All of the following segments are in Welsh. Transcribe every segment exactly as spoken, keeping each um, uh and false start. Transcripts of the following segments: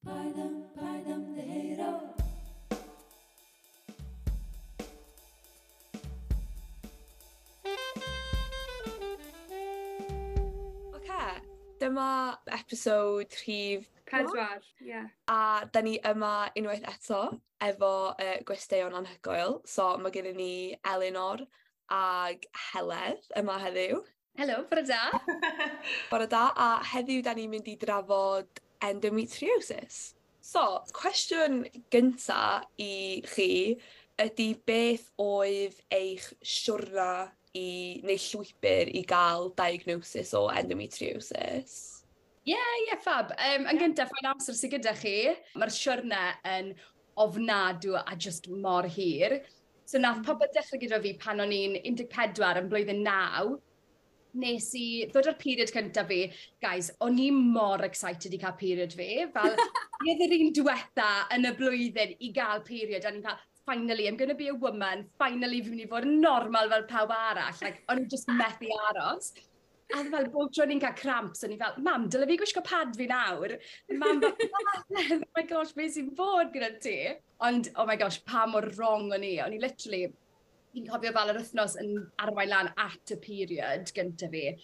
Paid am, paid ymddiheuro. Oce, dyma episode rhif Pedwar, ie. Yeah. A da ni yma unwaith eto efo uh, gwesteion anhygoel. So mae gennym ni Elinor ag Heledd yma heddiw. Helo, bore da. Bore da, a heddiw da ni'n mynd i drafod endometriosis. So, cwestiwn gynta i chi ydy beth oedd eich siwrna i, neu llwybr i gael diagnosis o endometriosis? Ie, yeah, ie, yeah, fab. Um, yn gyntaf, faint amser sydd gyda chi, mae'r siwrne yn ofnadw a just mor hir. So nath popeth dechrau gyda fi pan o'n i'n un deg pedwar yn blwyddyn naw. Nes i ddod o'r period cyntaf fi. Guys, o'n i mor excited i cael period fi. Fel, fi oedd yr un diwetha yn y blwyddyn i gael period. A ni'n cael, finally, I'm gonna be a woman. Finally, fi'n mynd i fod yn normal fel pawb arall. Like, o'n i just methu aros. A fel bob tro ni'n cael cramps, o'n i fel, mam, dyle fi gwisgo pad fi nawr? Mam fel, oh my gosh, beth sy'n bod gyda ti? Ond, oh my gosh, pa mor wrong o'n i. O'n i literally, fi'n cofio fel yr wythnos yn arwain lan at y period gyntaf fi.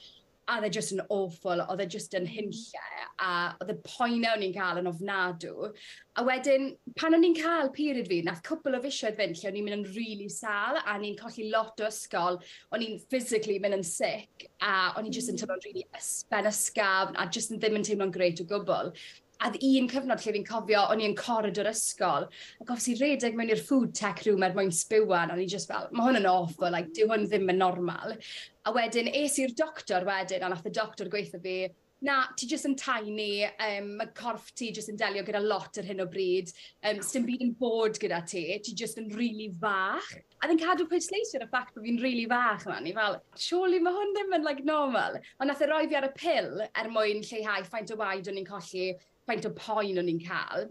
A oedd e just yn awful, oedd e just yn hunlle, a oedd y poenau o'n i'n cael yn ofnadw. A wedyn, pan o'n i'n cael period fi, nath cwpl o fisoedd fynd lle o'n i'n mynd yn really sâl, a o'n i'n colli lot o ysgol, o'n i'n physically mynd yn sick, a o'n i'n just yn teimlo'n really ben ysgafn, a just yn ddim yn teimlo'n great o gwbl. A oedd un cyfnod lle fi'n cofio, o'n i yn corridor ysgol, ac obviously redeg mewn i'r food tech room er mwyn sbiwan, o'n i just fel, mae hwn yn awful, like, dyw hwn ddim yn normal. A wedyn, es i'r doctor wedyn, a nath y doctor gweithio fi, na, ti just yn tiny, um, mae corff ti just yn delio gyda lot ar hyn o bryd, um, sdim byd yn bod gyda ti, ti just yn really fach. A ddyn cadw pwysleisio ar y ffact bod fi'n really fach yma, ni fel, surely mae hwn ddim yn like, normal. Ond nath e roi fi ar y pil er mwyn lleihau faint o waed o'n i'n colli, faint o poen o'n i'n cael.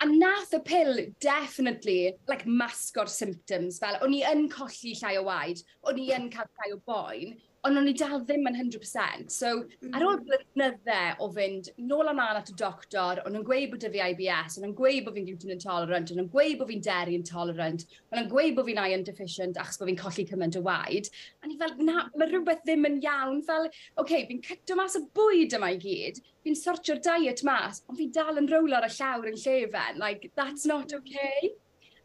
A nath y pil definitely like, masgo'r symptoms. Fel, o'n i yn colli llai o waed, o'n i yn cael llai o boen, ond o'n i dal ddim yn hundred percent. So, mm. ar ôl blynydde o fynd nôl a mlaen at y doctor, o'n nhw'n gweud bod 'da fi I B S, o'n nhw'n gweud bod fi'n gluten intolerant, o'n nhw'n gweud bod fi'n dairy intolerant, o'n nhw'n gweud bod fi'n iron deficient achos bod fi'n colli cymaint o waed. A ni fel, na, mae rhywbeth ddim yn iawn. Fel, oce, okay, fi'n cyto mas y bwyd yma i gyd, fi'n sortio'r diet mas, ond fi dal yn rowlo ar y llawr yn llefen. Like, that's not okay.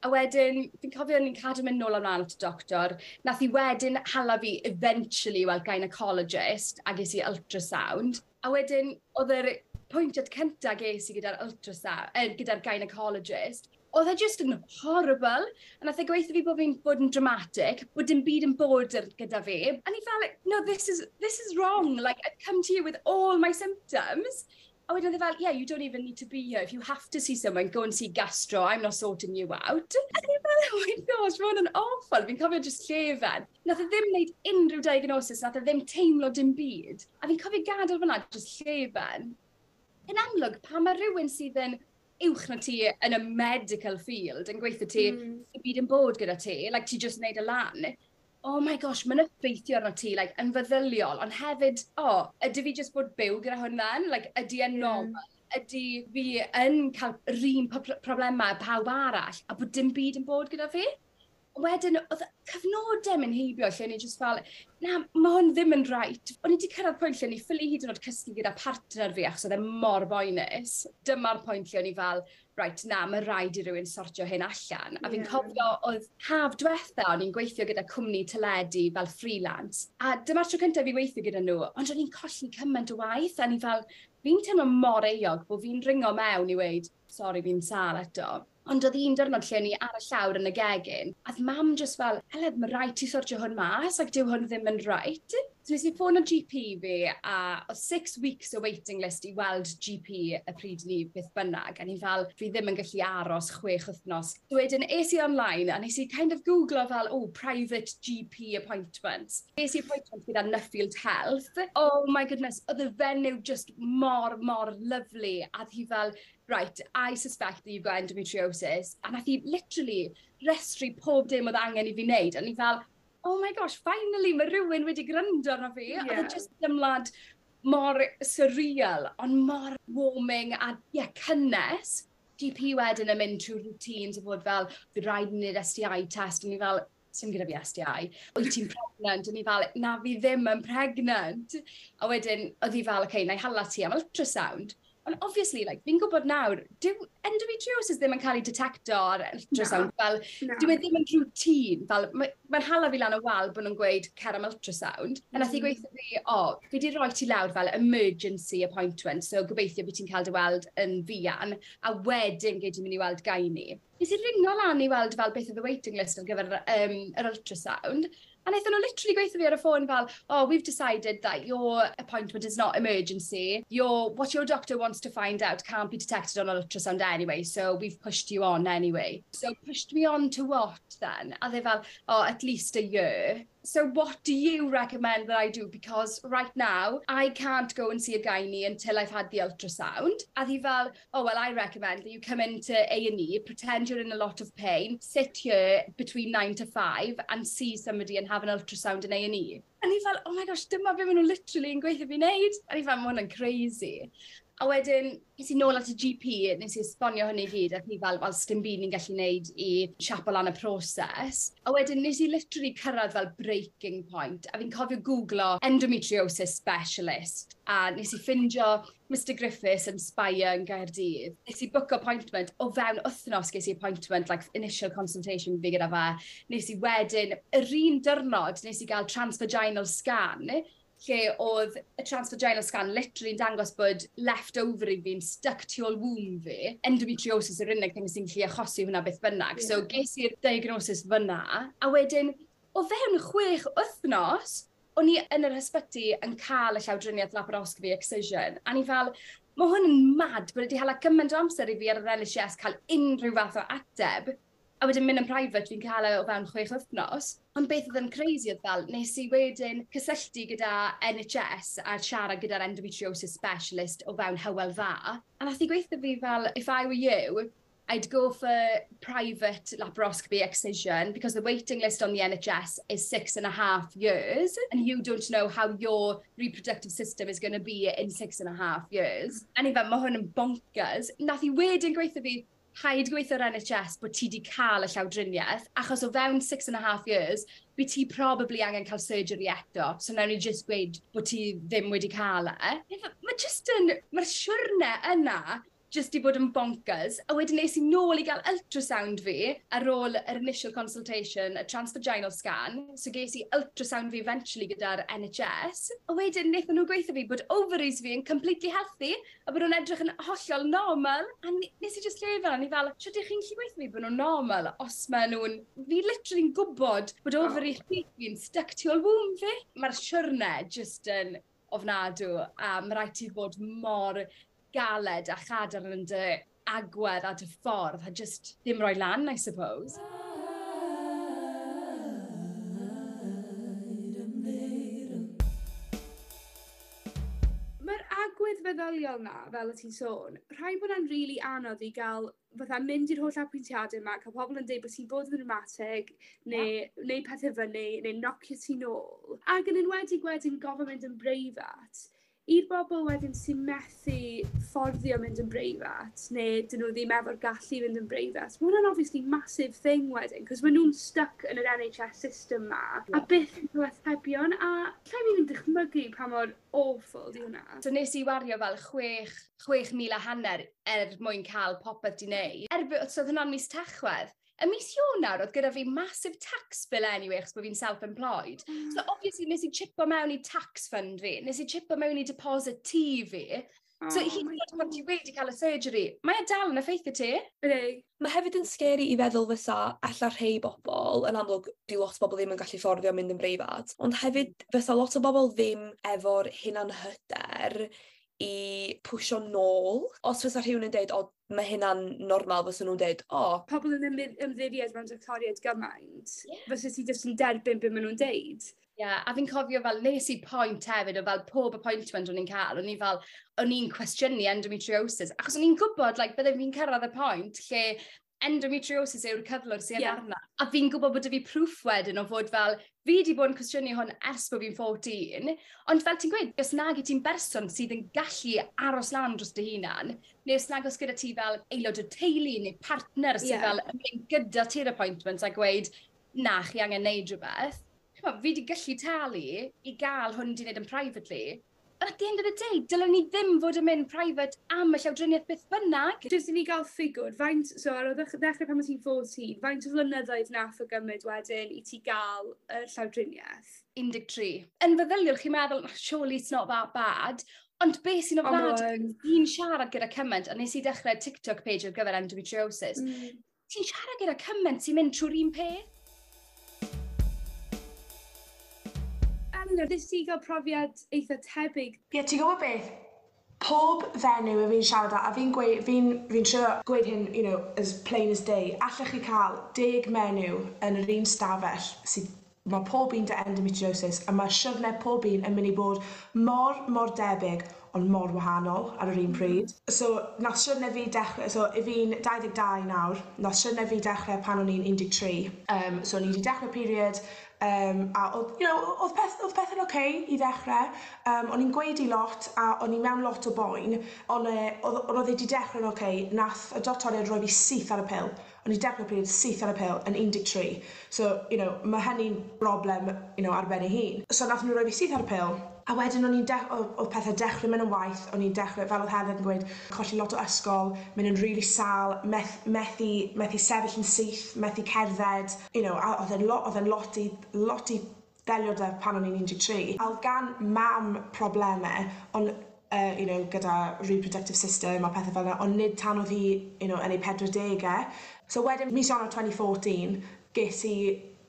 A wedyn, fi'n cofio o'n i'n cadw mynd nôl ymlaen at y doctor. Nath i wedyn hala fi eventually weld gynecologist a ges i ultrasound. A wedyn, oedd yr pwyntiad cyntaf ges i gyda'r ultrasound, eh, gyda'r gynecologist, oedd e just yn horrible. A nath e gweithio fi bod fi'n bod yn dramatic, bod dim byd yn bod gyda fi. A ni fel, no, this is, this is wrong. Like, I've come to you with all my symptoms. A wedyn oedd e fel, yeah, you don't even need to be here. If you have to see someone, go and see gastro. I'm not sorting you out. A ni fel, oh my gosh, mae hwn yn awful. Fi'n cofio just llefen. Nath e ddim wneud unrhyw diagnosis, nath e ddim teimlo dim byd. A fi'n cofio gadael fyna, just llefen. Yn amlwg, pan mae rhywun sydd yn uwch na ti yn y medical field yn gweithio ti, mm. y byd yn bod gyda ti, like ti just wneud y lan. Oh my gosh, mae'n effeithio arno ti, like, yn feddyliol, ond hefyd, oh, ydy fi just bod byw gyda hwn then? Like, ydy e'n normal? Ydy fi yn cael yr un problemau pawb arall, a bod dim byd yn bod gyda fi? Wedyn, oedd cyfnodau mynd heibio lle o'n i just fel, na, mae hwn ddim yn right. O'n i wedi cyrraedd pwynt lle o'n i ffili hyd yn oed cysgu gyda partner fi achos oedd e mor boenus. Dyma'r pwynt lle o'n i fel, right, na, mae rhaid i rywun sortio hyn allan. A fi'n yeah. cofio oedd haf diwetha, o'n i'n gweithio gyda cwmni teledu fel freelance. A dyma'r tro cyntaf fi weithio gyda nhw, ond o'n i'n colli cymaint o waith. A o'n i fel, fi'n teimlo mor euog bod fi'n ringo mewn i weud, sori, fi'n sâl eto. Ond oedd un diwrnod lle o'n i ar y llawr yn y gegin, a oedd mam just fel, Heledd, mae rhaid ti sortio hwn mas, ac dyw hwn ddim yn right. So nes i ffôn o G P fi, a oedd six weeks o waiting list i weld G P y pryd ni beth bynnag, a ni fel, fi ddim yn gallu aros chwech wythnos. So wedyn, es i online, a nes i kind of googlo fel, oh, private G P appointments. Es i appointment gyda Nuffield Health. Oh my goodness, oedd y fenyw just mor, mor lovely, a oedd hi fel, right, I suspect that you've got endometriosis. A nath hi literally restru pob dim oedd angen i fi wneud. A ni fel, oh my gosh, finally mae rhywun wedi gwrando arno fi. Yeah. Oedd e just ymlad mor surreal, ond mor warming a yeah, cynnes. G P wedyn yn mynd trwy routines o fod fel, "Fydd rhaid i ni wneud S T I test," o'n i fel, "Sim gyda fi S T I." "Wyt ti'n pregnant?" O'n i fel, "Na, fi ddim yn pregnant." A wedyn, oedd hi fel, "Okay, na i hala ti am ultrasound." Ond obviously, like, fi'n gwybod nawr, dyw endometriosis ddim yn cael ei detecto ar ultrasound. Fel, Na. dyw e ddim yn routine. Fel, mae'n ma hala fi lan y wal bod nhw'n gweud cer am ultrasound. A nath hi Mm. gweithio fi, "O, fi di roi ti lawr fel emergency appointment, so gobeithio bydd ti'n cael dy weld yn fuan, a wedyn gei di mynd i weld gynae." Nes i ringo lan i weld fel beth oedd y waiting list ar gyfer um, yr ultrasound, a wnaethon nhw literally gweithio fi ar y ffôn fel, "Oh, we've decided that your appointment is not emergency. Your, what your doctor wants to find out can't be detected on ultrasound anyway, so we've pushed you on anyway." So pushed me on to what then? A they fel, "Oh, at least a year. So what do you recommend that I do? Because right now, I can't go and see a gynae until I've had the ultrasound." A hi fel, "Oh, well, I recommend that you come into A and E, pretend you're in a lot of pain, sit here between nine to five and see somebody and have an ultrasound in A and E" A ni fel, "Oh my gosh, dyma be maen nhw literally yn gweithio fi wneud." A ni fel, "Ma hwnna'n crazy." A wedyn, nes i nôl at y G P, nes i esbonio hynny i gyd, ac ni fel, "Wel, sdim byd ni'n gallu neud i siapo lan y proses." A wedyn, nes i literally cyrraedd fel breaking point, a fi'n cofio googlo endometriosis specialist, a nes i ffindio Mister Griffiths yn Spire yn Gaerdydd. Nes i book appointment, o fewn wythnos ges i appointment, like initial consultation fi gyda fe. Nes i wedyn, yr un diwrnod, nes i gael transvaginal scan, lle oedd y transvaginal scan literally yn dangos bod left ovary fi'n stuck tu ôl womb fi. Endometriosis yw'r unig thing sy'n gallu achosi hwnna beth bynnag. Yeah. So ges i'r diagnosis fyna, a wedyn, o fewn chwech wythnos, o'n i yn yr ysbyty yn cael y llawdriniaeth laparoscopy excision, a ni fel, mae hwn yn mad bod wedi hala gymaint o amser i fi ar yr N H S cael unrhyw fath o ateb, a wedyn mynd yn private fi'n cael e o fewn chwech wythnos. Ond beth oedd yn crazy oedd fel, nes i wedyn cysylltu gyda N H S a siarad gyda'r endometriosis specialist o fewn Hywel Dda. A nath i gweithio fi fel, "If I were you, I'd go for private laparoscopy excision because the waiting list on the N H S is six and a half years and you don't know how your reproductive system is going to be in six and a half years." A ni fel, "Mae hwn yn bonkers." Nath i wedyn gweithio fi, "Paid gweithio'r N H S bod ti wedi cael y llawdriniaeth, achos o fewn six and a half years, by ti probably angen cael surgery eto, so nawn ni just gweud bod ti ddim wedi cael e." Mae just yn, mae'r siwrne yna just i bod yn bonkers. A wedyn nes i nôl i gael ultrasound fi ar ôl yr initial consultation, y transvaginal scan. So ges i ultrasound fi eventually gyda'r N H S. A wedyn wnaethon nhw gweithio fi bod ovaries fi yn completely healthy a bod nhw'n edrych yn hollol normal. A nes i just lle fel, a ni fel, "Sut ydych chi'n gallu gweithio fi bod nhw'n normal os maen nhw'n... Fi literally'n gwybod bod ovary oh. fi'n stuck tu ôl womb fi." Mae'r siwrne just yn ofnadw a mae rhaid ti fod mor galed a chadarn yn dy agwedd a dy ffordd a just ddim rhoi lan, I suppose. Mae'r agwedd feddyliol na, fel y ti'n sôn, rhaid bod e'n rili anodd i gael fatha mynd i'r holl apwyntiadau yma, cael pobl yn dweud bod ti'n bod yn dramatic, neu yeah. neu pethau fyny, neu nocio ti nôl. Ac yn enwedig wedyn gofyn mynd yn breifat, i'r bobl wedyn sy'n methu fforddio mynd yn breifat, neu dyn nhw ddim efo'r gallu fynd yn breifat, mae hwnna'n obviously massive thing wedyn, cos maen nhw'n stuck yn yr N H S system ma, yeah. a byth yn cael atebion, a lle fi'n dychmygu pa mor awful di hwnna. So nes i wario fel chwech, chwech mil a hanner er mwyn cael popeth di wneud. Erbyn, so oedd hwnna'n mis Tachwedd. Y mis Ionawr oedd gyda fi massive tax bill anyway, achos bod fi'n self-employed. Mm. So obviously nes i chipo mewn i tax fund fi, nes i chipo mewn i deposit tŷ fi. So oh hyd yn oed pan ti wedi cael y surgery, mae e dal yn effeithio ti. Ydy. Mae hefyd yn scary i feddwl fysa alla rhai bobl, yn amlwg di lot o bobl ddim yn gallu fforddio mynd yn breifat, ond hefyd fysa lot o bobl ddim efo'r hunanhyder i pwsio nôl. Os fysa rhywun yn deud, "O, mae hynna'n normal," fysa nhw'n deud, "O." Pobl yn ymddiried mewn doctoriaid gymaint, yeah. fysa ti jyst yn derbyn beth maen nhw'n deud. Ie, yeah, a fi'n cofio fel nes i point hefyd o fel pob appointment o'n i'n cael, o'n i fel, o'n i'n cwestiynu endometriosis, achos o'n i'n gwybod, like, bydde fi'n cyrraedd y pwynt lle Endometriosis yw'r cyflwr sydd Ie. arna. A fi'n gwybod bod 'da fi proof wedyn o fod fel, fi 'di bod yn cwestiynu hwn ers bod fi'n fourteen, ond fel ti'n gweud, os nag i ti'n berson sydd yn gallu aros lan dros dy hunan, neu os nag oes gyda ti fel aelod o teulu neu partner sydd Ie. fel yn mynd gyda ti'r appointment a gweud, "Na, chi angen neud rhywbeth." Ch'mo', fi 'di gallu talu i gael hwn 'di wneud yn privately, but at the end of the day, dylen ni ddim fod yn mynd private am y llawdriniaeth beth bynnag. Jyst i ni gael ffigwr, faint, so ar ôl ddech- ddechrau pan o ti'n fourteen, faint o flynyddoedd nath o gymryd wedyn i ti gael y llawdriniaeth? un deg tri. Yn feddyliol, chi'n meddwl, "Surely it's not that bad." Ond beth sy'n Ond ma' ofnadwy, yn. fi'n siarad gyda cymaint, a nes i dechrau TikTok page ar gyfer endometriosis. Mm. Ti'n siarad gyda cymaint sy'n mynd trwy'r un peth. Eleanor, nes ti gael profiad eitha tebyg? Ie, yeah, ti'n gwybod beth? Pob fenyw y fi'n siarad â, a fi'n gweud, fi'n fi trio gweud hyn, you know, as plain as day, allech chi cael deg menyw yn yr un stafell sydd mae pob un 'da endometriosis a mae siwrne pob un yn mynd i bod mor, mor debyg ond mor wahanol ar yr un pryd. So nath siwrne fi dechrau, so i fi'n dau ddeg dau nawr, nath siwrne fi dechrau pan o'n i'n un deg tri. Um, so o'n i wedi dechrau period, um, a oedd, you know, oedd, peth, oedd pethau'n oce okay i ddechrau. Um, o'n i'n gweud i lot a o'n i mewn lot o boen, ond e, oedd, ond oedd e wedi dechrau'n oce, okay. Nath y doctoriaid roi fi syth ar y pil. O'n i dechrau period syth ar y pil yn un deg tri. So, you know, mae hynny'n broblem, you know, ar ben ei hun. So nath nhw roi fi syth ar y pil, a wedyn o'n i'n de- oedd oedd pethau dechrau mynd yn waeth, o'n i'n dechrau, fel oedd Heather yn gweud, colli lot o ysgol, mynd yn really sâl, meth, methu, methu sefyll yn syth, methu cerdded, you know, a oedd e'n lot, oedd e'n lot i, lot i ddelio 'da pan o'n i'n un deg tri. A oedd gan mam problemau, ond uh, you know, gyda reproductive system a pethau fel yna, ond nid tan oedd hi you know, yn ei pedwar degau. So wedyn, mis Ionawr dwy fil un deg pedwar, ges i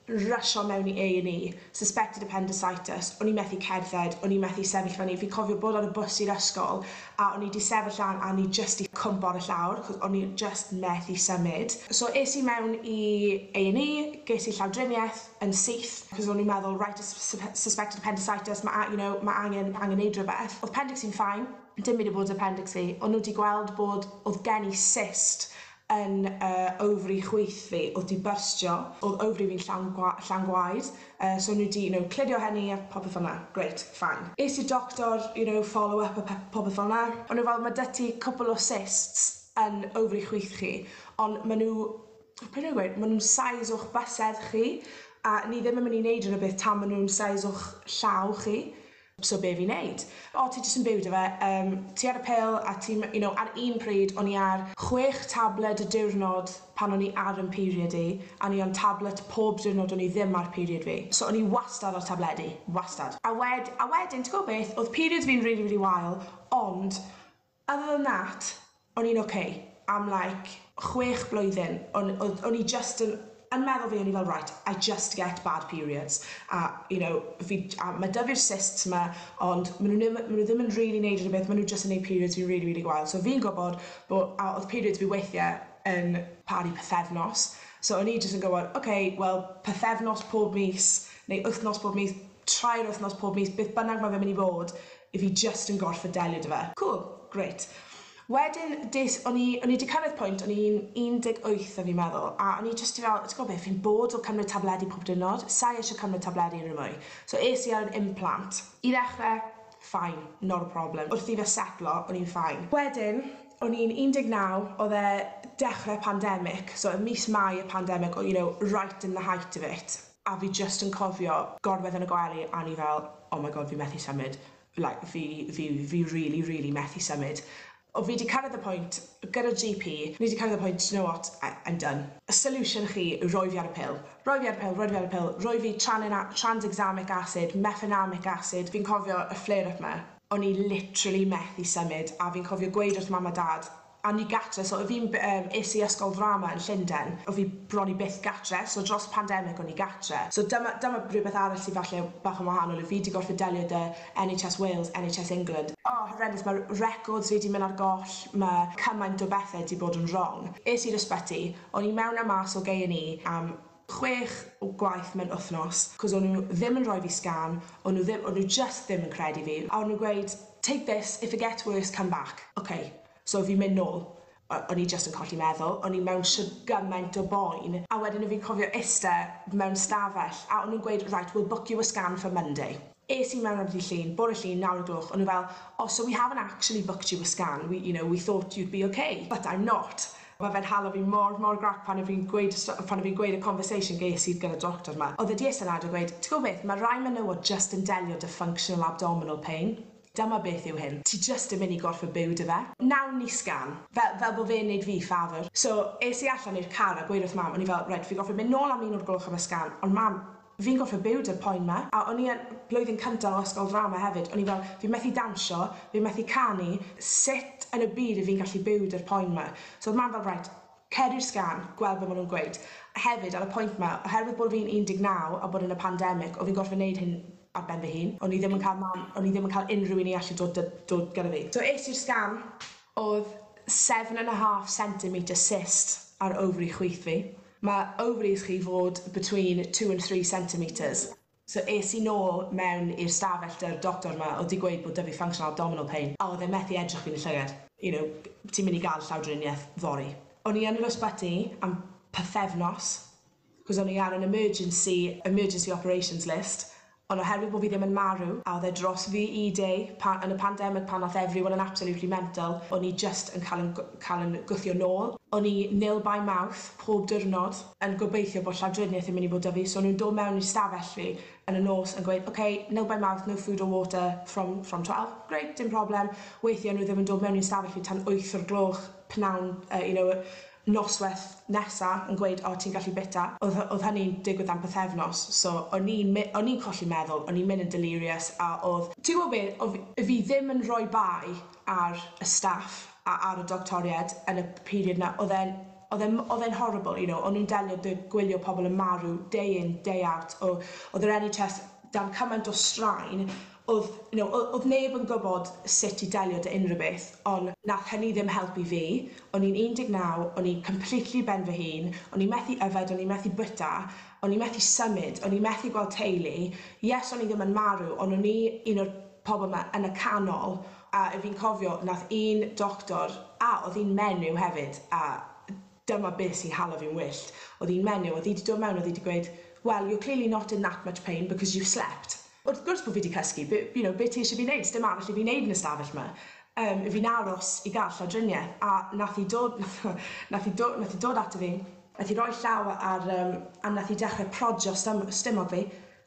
rysio mewn i A and E, suspected appendicitis, o'n i methu cerdded, o'n i methu sefyll fyny. Fi cofio bod ar y bws i'r ysgol a o'n i 'di sefyll lan a o'n i just i cwmpo ar y llawr, 'cos o'n i just methu symud. So es i mewn i A and E, ges i llawdriniaeth yn syth, cos o'n i'n meddwl, right, suspected appendicitis, mae you know, ma angen, angen neud rhywbeth. Oedd appendix fi'n fine, dim byd o bod appendix fi, ond nhw wedi gweld bod oedd gen i cyst yn uh, ovary chwith fi, oedd di byrstio, oedd ovary fi'n llawn, gwa llawn gwaed, uh, so nhw di, you know, clirio hynny a popeth fel 'na, great, fine. Es i'r doctor, you know, follow up a popeth fel 'na, ond nhw fel, "Mae 'da ti cwpl o cysts yn ovary chwith chi, ond maen nhw, beth nhw'n gweud, maen nhw'n size o'ch bysedd chi, a ni ddim yn mynd i wneud rhywbeth tan maen nhw'n size o'ch llaw chi. So be fi'n neud? O, ti jyst yn byw 'da fe, um, ti ar y pil a ti'n, you know, ar un pryd o'n i ar chwech tabled y diwrnod pan o'n i ar yn period i, a o'n i on tablet pob diwrnod o'n i ddim ar period fi. So o'n i wastad ar tabledi, wastad. A, wed, a wedyn, ti'n gwybod beth, oedd periods fi'n really, really wael, ond other than that, o'n i'n okay am like chwech blwyddyn. O'n o'n i just yn yn meddwl fi, o'n i fel, "Right, I just get bad periods." A, you know, fi, a mae 'da fi'r cysts 'ma, ond maen nhw ddim, ma nhw ddim yn really neud rhywbeth, maen nhw just yn neud periods fi really, really gwael. So fi'n gwybod bod, a oedd periods fi weithiau yn paru pythefnos. So o'n i just yn gwybod, okay, well, pythefnos pob mis, neu wythnos pob mis, tair wythnos pob mis, beth bynnag mae fe'n mynd i fod, if fi just yn gorfod delio 'da fe. Cool, great. Wedyn, des, o'n i, o'n i 'di cyrraedd pwynt, o'n i'n un deg wyth a fi'n meddwl, a o'n i just i fel, "Ti'n gwybod beth, fi'n bored o cymryd tabledi pob diwrnod, sai eisiau cymryd tabledi unrhyw mwy." So es i ar an implant. I ddechrau, fine, not a problem. Wrth i fe setlo, o'n i'n fine. Wedyn, o'n i'n un deg naw, oedd e dechrau pandemic, so ym mis Mai y pandemic, you know, right in the height of it. A fi just yn cofio gorwedd yn y gwely a o'n i fel, "Oh my God, fi methu symud. Like, fi, fi, fi really, really methu symud." O fi 'di cyrraedd y pwynt gyda G P, ni 'di cyrraedd y pwynt, "You know what, I, I'm done. Y solution chi yw roi fi ar y pil. Roi fi ar y pil, roi fi ar y pil, roi fi tranexamic acid, mefenamic acid." Fi'n cofio y flare-up 'ma, o'n i literally methu symud a fi'n cofio gweud wrth mam a dad a ni gatre, so fi'n um, es i ysgol ddrama yn Llundain, o fi bron i byth gatre, so dros pandemic o'n i gatre. So dyma, dyma rhywbeth arall sydd falle bach yn wahanol, i fi 'di gorfod delio 'da N H S Wales, N H S England. Oh, horrendous, mae records fi 'di mynd ar goll, mae cymaint o bethau 'di bod yn wrong. Es i'r ysbyty, o'n i mewn a mas o A and E am chwech o gwaith mewn wythnos, cos o'n nhw ddim yn rhoi fi scan, o'n nhw ddim, o'n nhw just ddim yn credu fi. A o'n nhw'n gweud, "Take this, if it gets worse, come back." Okay, so fi'n mynd nôl. O'n i just yn colli meddwl, o'n i mewn shwd gymaint o boen. A wedyn o fi'n cofio iste mewn stafell a o'n nhw'n gweud, "Right, we'll book you a scan for Monday." Es i mewn ar ddydd Llun, bore Llun, naw o'r gloch, o'n nhw fel, "Oh, so we haven't actually booked you a scan, we, you know, we thought you'd be okay, but I'm not." Mae fe'n hala fi mor, mor grac pan o fi'n gweud, pan o fi'n gweud y conversation ges i gyda doctor 'ma. Oedd e 'di iste lawr a gweud, "Ti'n gwybod beth, mae rai menywod just yn delio 'da functional abdominal pain. Dyma beth yw hyn. Ti just yn mynd i gorffod byw 'da fe. Nawn ni scan," fel, fel bod fe'n neud fi ffafr. So es i allan i'r car a gweud wrth mam, o'n i fel, "Right, fi gorffod mynd nôl am un o'r gloch am y scan, ond mam, fi'n gorffod byw 'da'r poen 'ma." A o'n i yn blwyddyn cyntaf o ysgol drama hefyd, o'n i fel, "Fi methu dawnsio, fi methu canu, sut yn y byd y fi'n gallu byw 'da'r poen 'ma?" So oedd mam fel, "Right, cer i'r scan, gweld be' ma' nw'n gweud." A hefyd ar y pwynt 'ma, oherwydd bod fi'n un deg naw a bod yn y pandemic, o fi'n gorffod neud hyn ar ben fy hun. O'n i ddim yn cael mam, o'n i ddim yn cael unrhyw un i allu dod, dod gyda fi. So es i'r scan, oedd seven and a half centimetre cyst ar ovary chwith fi. Mae ovaries chi fod between two and three centimetres. So es i nôl mewn i'r stafell 'da'r doctor 'ma o'dd 'di gweud bod 'da fi functional abdominal pain a oedd e methu edrych fi yn y llygad. You know, "Ti'n mynd i gael llawdriniaeth fory." O'n i yn yr ysbyty am pythefnos, cos o'n i ar an emergency, emergency operations list, ond oherwydd bod fi ddim yn marw, a oedd e dros V E Day pa, yn y pandemic pan nath everyone yn absolutely mental, o'n i just yn cael yn, cael yn gwthio nôl. O'n i nil by mouth pob diwrnod yn gobeithio bod llawdriniaeth yn mynd i fod 'da fi, so o'n nhw'n dod mewn i stafell fi yn y nos yn gweud, "Okay, nil by mouth, no food or water from, from twelve." Great, dim problem. Weithiau nhw ddim yn dod mewn i'n stafell fi tan wyth o'r gloch pnawn, uh, you know, noswaith nesa yn gweud, "O, ti'n gallu bita." Oedd, oedd hynny'n digwydd am pythefnos, so o'n i'n o'n i'n colli meddwl, o'n i'n mynd yn delirious a oedd, ti'n gwybod beth, oedd fi ddim yn rhoi bai ar y staff a ar y doctoried yn y period 'na, oedd e'n oedd e'n oedd e'n horrible, you know, o'n nhw'n delio 'da gwylio pobl yn marw day in, day out, o, oedd yr N H S dan cymaint o straen, oedd, you know, oedd neb yn gwybod sut i delio 'da unrhyw beth, ond nath hynny ddim helpu fi. O'n i'n un deg naw, o'n i'n completely ben fy hun, o'n i'n methu yfed, o'n i'n methu bwyta, o'n i'n methu symud, o'n i'n methu gweld teulu. Yes, o'n i ddim yn marw, ond o'n i un o'r pobl 'ma yn y canol, a fi'n cofio nath un doctor, a oedd hi'n menyw hefyd, a dyma beth sy'n hala fi'n wyllt. Oedd hi'n menyw, oedd hi wedi dod mewn, oedd hi wedi gweud, "Well, you're clearly not in that much pain because you slept." Wrth gwrs bod fi wedi cysgu, be, you know, be ti eisiau fi wneud? Dim arall i fi wneud yn y stafell 'ma. Um, fi'n aros i gael llawdriniaeth a nath hi dod, nath hi dod, nath hi dod ato fi, nath hi roi llaw ar, um, a nath hi dechrau prodio stom stumog fi.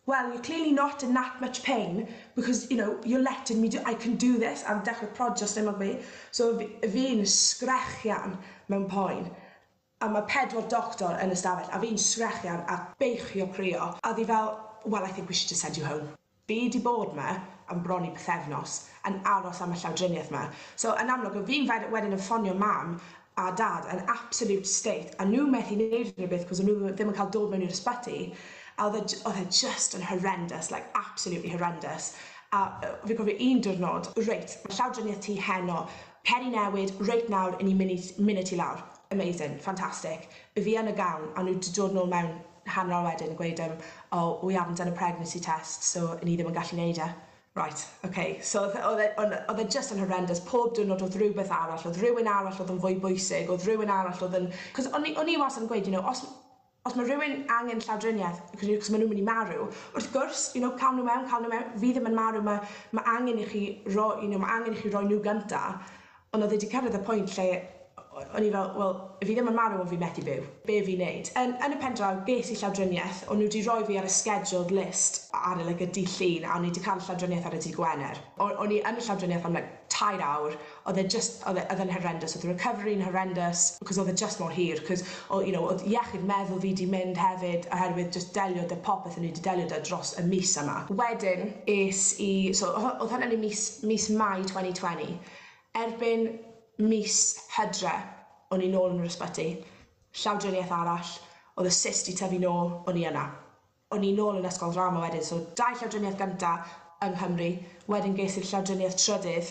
"Well, you're clearly not in that much pain because, you know, you're letting me do, I can do this," a dechrau prodio stumog fi. So fi'n sgrechian mewn poen a mae pedwar doctor yn y stafell a fi'n sgrechian a beichio crio a ddi fel, "Well, I think we should just send you home." Fi 'di bod 'ma am bron i pythefnos yn aros am y llawdriniaeth 'ma. So yn amlwg, o fi'n wedyn yn ffonio mam a dad yn absolute state a nhw methu neud unrhyw beth cos o'n nhw ddim yn cael dod mewn i'r ysbyty a oedd e oedd e just yn horrendous, like absolutely horrendous. A yy fi'n cofio un diwrnod, "Reit, ma' llawdriniaeth ti heno, cer i newid, reit nawr, 'yn ni'n mynd i mynd â ti lawr." Amazing, fantastic. Fi yn y gown a nhw 'di dod nôl mewn hanner awr wedyn yn gweud um, "Oh, we haven't done a pregnancy test, so ni ddim yn gallu neud e." Right, okay. So oedd e oedd e just yn horrendous. Pob diwrnod oedd rhywbeth arall, oedd rhywun arall oedd yn fwy bwysig, oedd rhywun arall oedd yn... Cos o'n i, o'n i wastad yn gweud, you know, os, os mae rhywun angen llawdriniaeth, cos maen nhw'n mynd i marw, wrth gwrs, you know, cael nhw mewn, cael nhw mewn, fi ddim yn marw, mae, ma angen i chi roi, you know, mae angen i chi roi nhw gynta. Ond oedd e wedi cyrraedd y pwynt lle o'n i fel, "Wel, fi ddim yn marw ond fi methu byw. Be fi'n neud?" Yn, yn y pen draw, ges i llawdriniaeth, o'n nhw wedi rhoi fi ar y scheduled list ar y, like, y dydd Llun, a o'n i wedi cael llawdriniaeth ar y dydd Gwener. O'n i yn y llawdriniaeth am like, tair awr, oedd e just, oedd e, oedd e'n horrendous, oedd y recovery'n horrendous, because oedd e just mor hir, cos, o, you know, oedd iechyd meddwl fi 'di mynd hefyd, oherwydd just delio 'da popeth o'n i wedi delio 'da dros y mis yma. Wedyn, es i, so oedd hynny'n mis, mis Mai dwy fil a dau ddeg. Erbyn mis Hydre, o'n i nôl yn yr ysbyty, llawdriniaeth arall, oedd y cyst 'di tyfu nôl, o'n i yna. O'n i nôl yn ysgol drama wedyn, so dau llawdriniaeth gynta yng Nghymru, wedyn ges i'r llawdriniaeth trydydd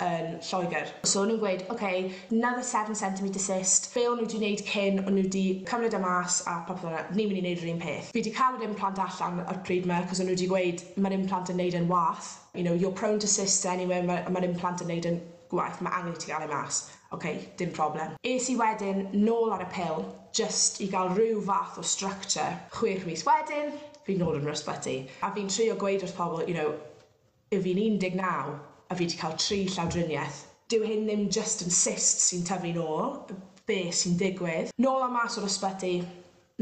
yn Lloegr. So o'n nhw'n gweud, "Okay, another seven centimetre cyst," be o'n nhw wedi wneud cyn, o'n nhw wedi cymryd e mas a popeth fel 'na, ni'n mynd i wneud yr un peth. Fi wedi cael yr implant allan ar pryd 'ma, cos o'n nhw wedi gweud, "Mae'r implant yn neud yn wath. You know, you're prone to cysts anyway, mae'r ma implant yn neud yn gwaith, mae angen i ti gael ei mas. Ok, dim problem. Es i wedyn nôl ar y pil, just i gael rhyw fath o structure. Chwech mis wedyn, fi nôl yn yr ysbyty. A fi'n trio gweud wrth pobl, you know, y fi'n un deg naw a fi wedi cael tri llawdriniaeth. Dyw hyn ddim just yn cyst sy'n tyfu nôl, be sy'n digwydd. Nôl a mas o'r ysbyty,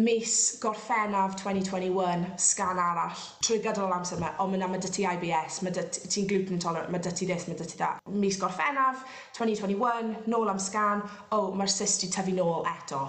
mis Gorffennaf twenty twenty-one, sgan arall. Trwy gydol yr amser yma, o, ma' na, ma' 'da ti I B S, ma' 'da ti, ti'n gluten intolerant, ma' 'da ti this, ma' 'da ti that. Mis Gorffennaf twenty twenty-one, nôl am sgan, o, oh, mae'r cyst 'di tyfu nôl eto.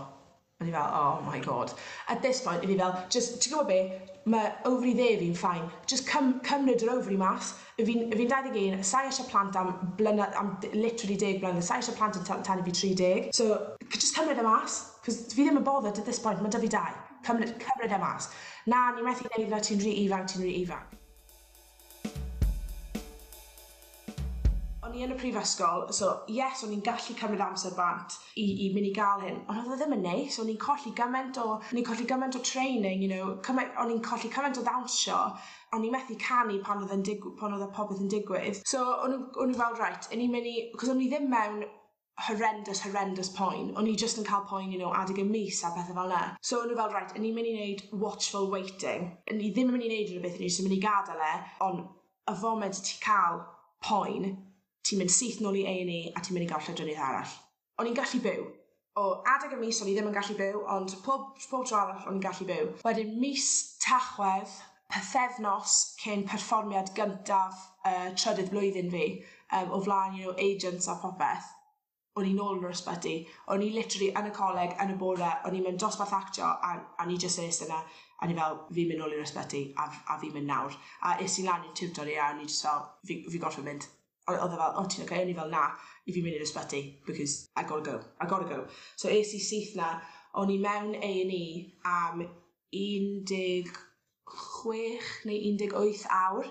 A ni fel, oh my god. At this point, i fi fel, just, ti'n gwybod be, mae ovary dde fi'n fine. Just cym, cymryd yr ovary mas. Fi'n fi dau ddeg un, sai eisiau plant am blynedd, am literally deg blynedd, sai eisiau plant yn tan i fi tri deg. So, just cymryd e mas, cos fi ddim yn bothered at this point, mae 'da fi dau. Cymryd, cymryd e mas. Na, ni methu neud na, ti'n rhy ifanc, ti'n rhy ifanc. O'n i yn y prifysgol, so yes, o'n i'n gallu cymryd amser bant i, i mynd i gael hyn, ond oedd e ddim yn neis, o'n i'n colli gymaint o, o'n i'n colli gymaint o training, you know, cymaint, o'n i'n colli cymaint o ddawnsio, o'n i'n methu canu pan oedd yn dig- pan oedd y popeth yn digwydd. So o'n i fel, right, o'n i'n mynd i, cos o'n i ddim mewn horrendous, horrendous poen, o'n i just yn cael poen, you know, adeg y mis a pethau fel 'na. So o'n i fel, right, o'n i'n mynd i wneud watchful waiting, o'n i ddim yn mynd i wneud rhywbeth, o'n i jyst yn mynd i gadael e, ond y foment ti cael poen, ti'n mynd syth nôl i A and E a ti'n mynd i gael llawdriniaeth arall. O'n i'n gallu byw. O adeg y mis o'n i ddim yn gallu byw, ond pob, pob tro arall o'n i'n gallu byw. Wedyn mis Tachwedd, pythefnos cyn perfformiad gyntaf uh, trydydd blwyddyn fi, um, o flaen, you know, agents a popeth, o'n i nôl yn yr ysbyty. O'n i literally yn y coleg, yn y bore, o'n i'n mynd dosbarth actio a, a ni jyst eist yna, a ni fel, fi'n mynd nôl i'r ysbyty a, a fi'n mynd nawr. A es i lan i'r tutor i a o'n i jyst fel, fi, fi gorfod mynd. Oedd e fel, o, ti'n okay? O'n i fel, na, i fi mynd i'r ysbyty, because I gotta go, I gotta go. So es i syth na, o'n i mewn A and E am un deg chwech neu un deg wyth awr,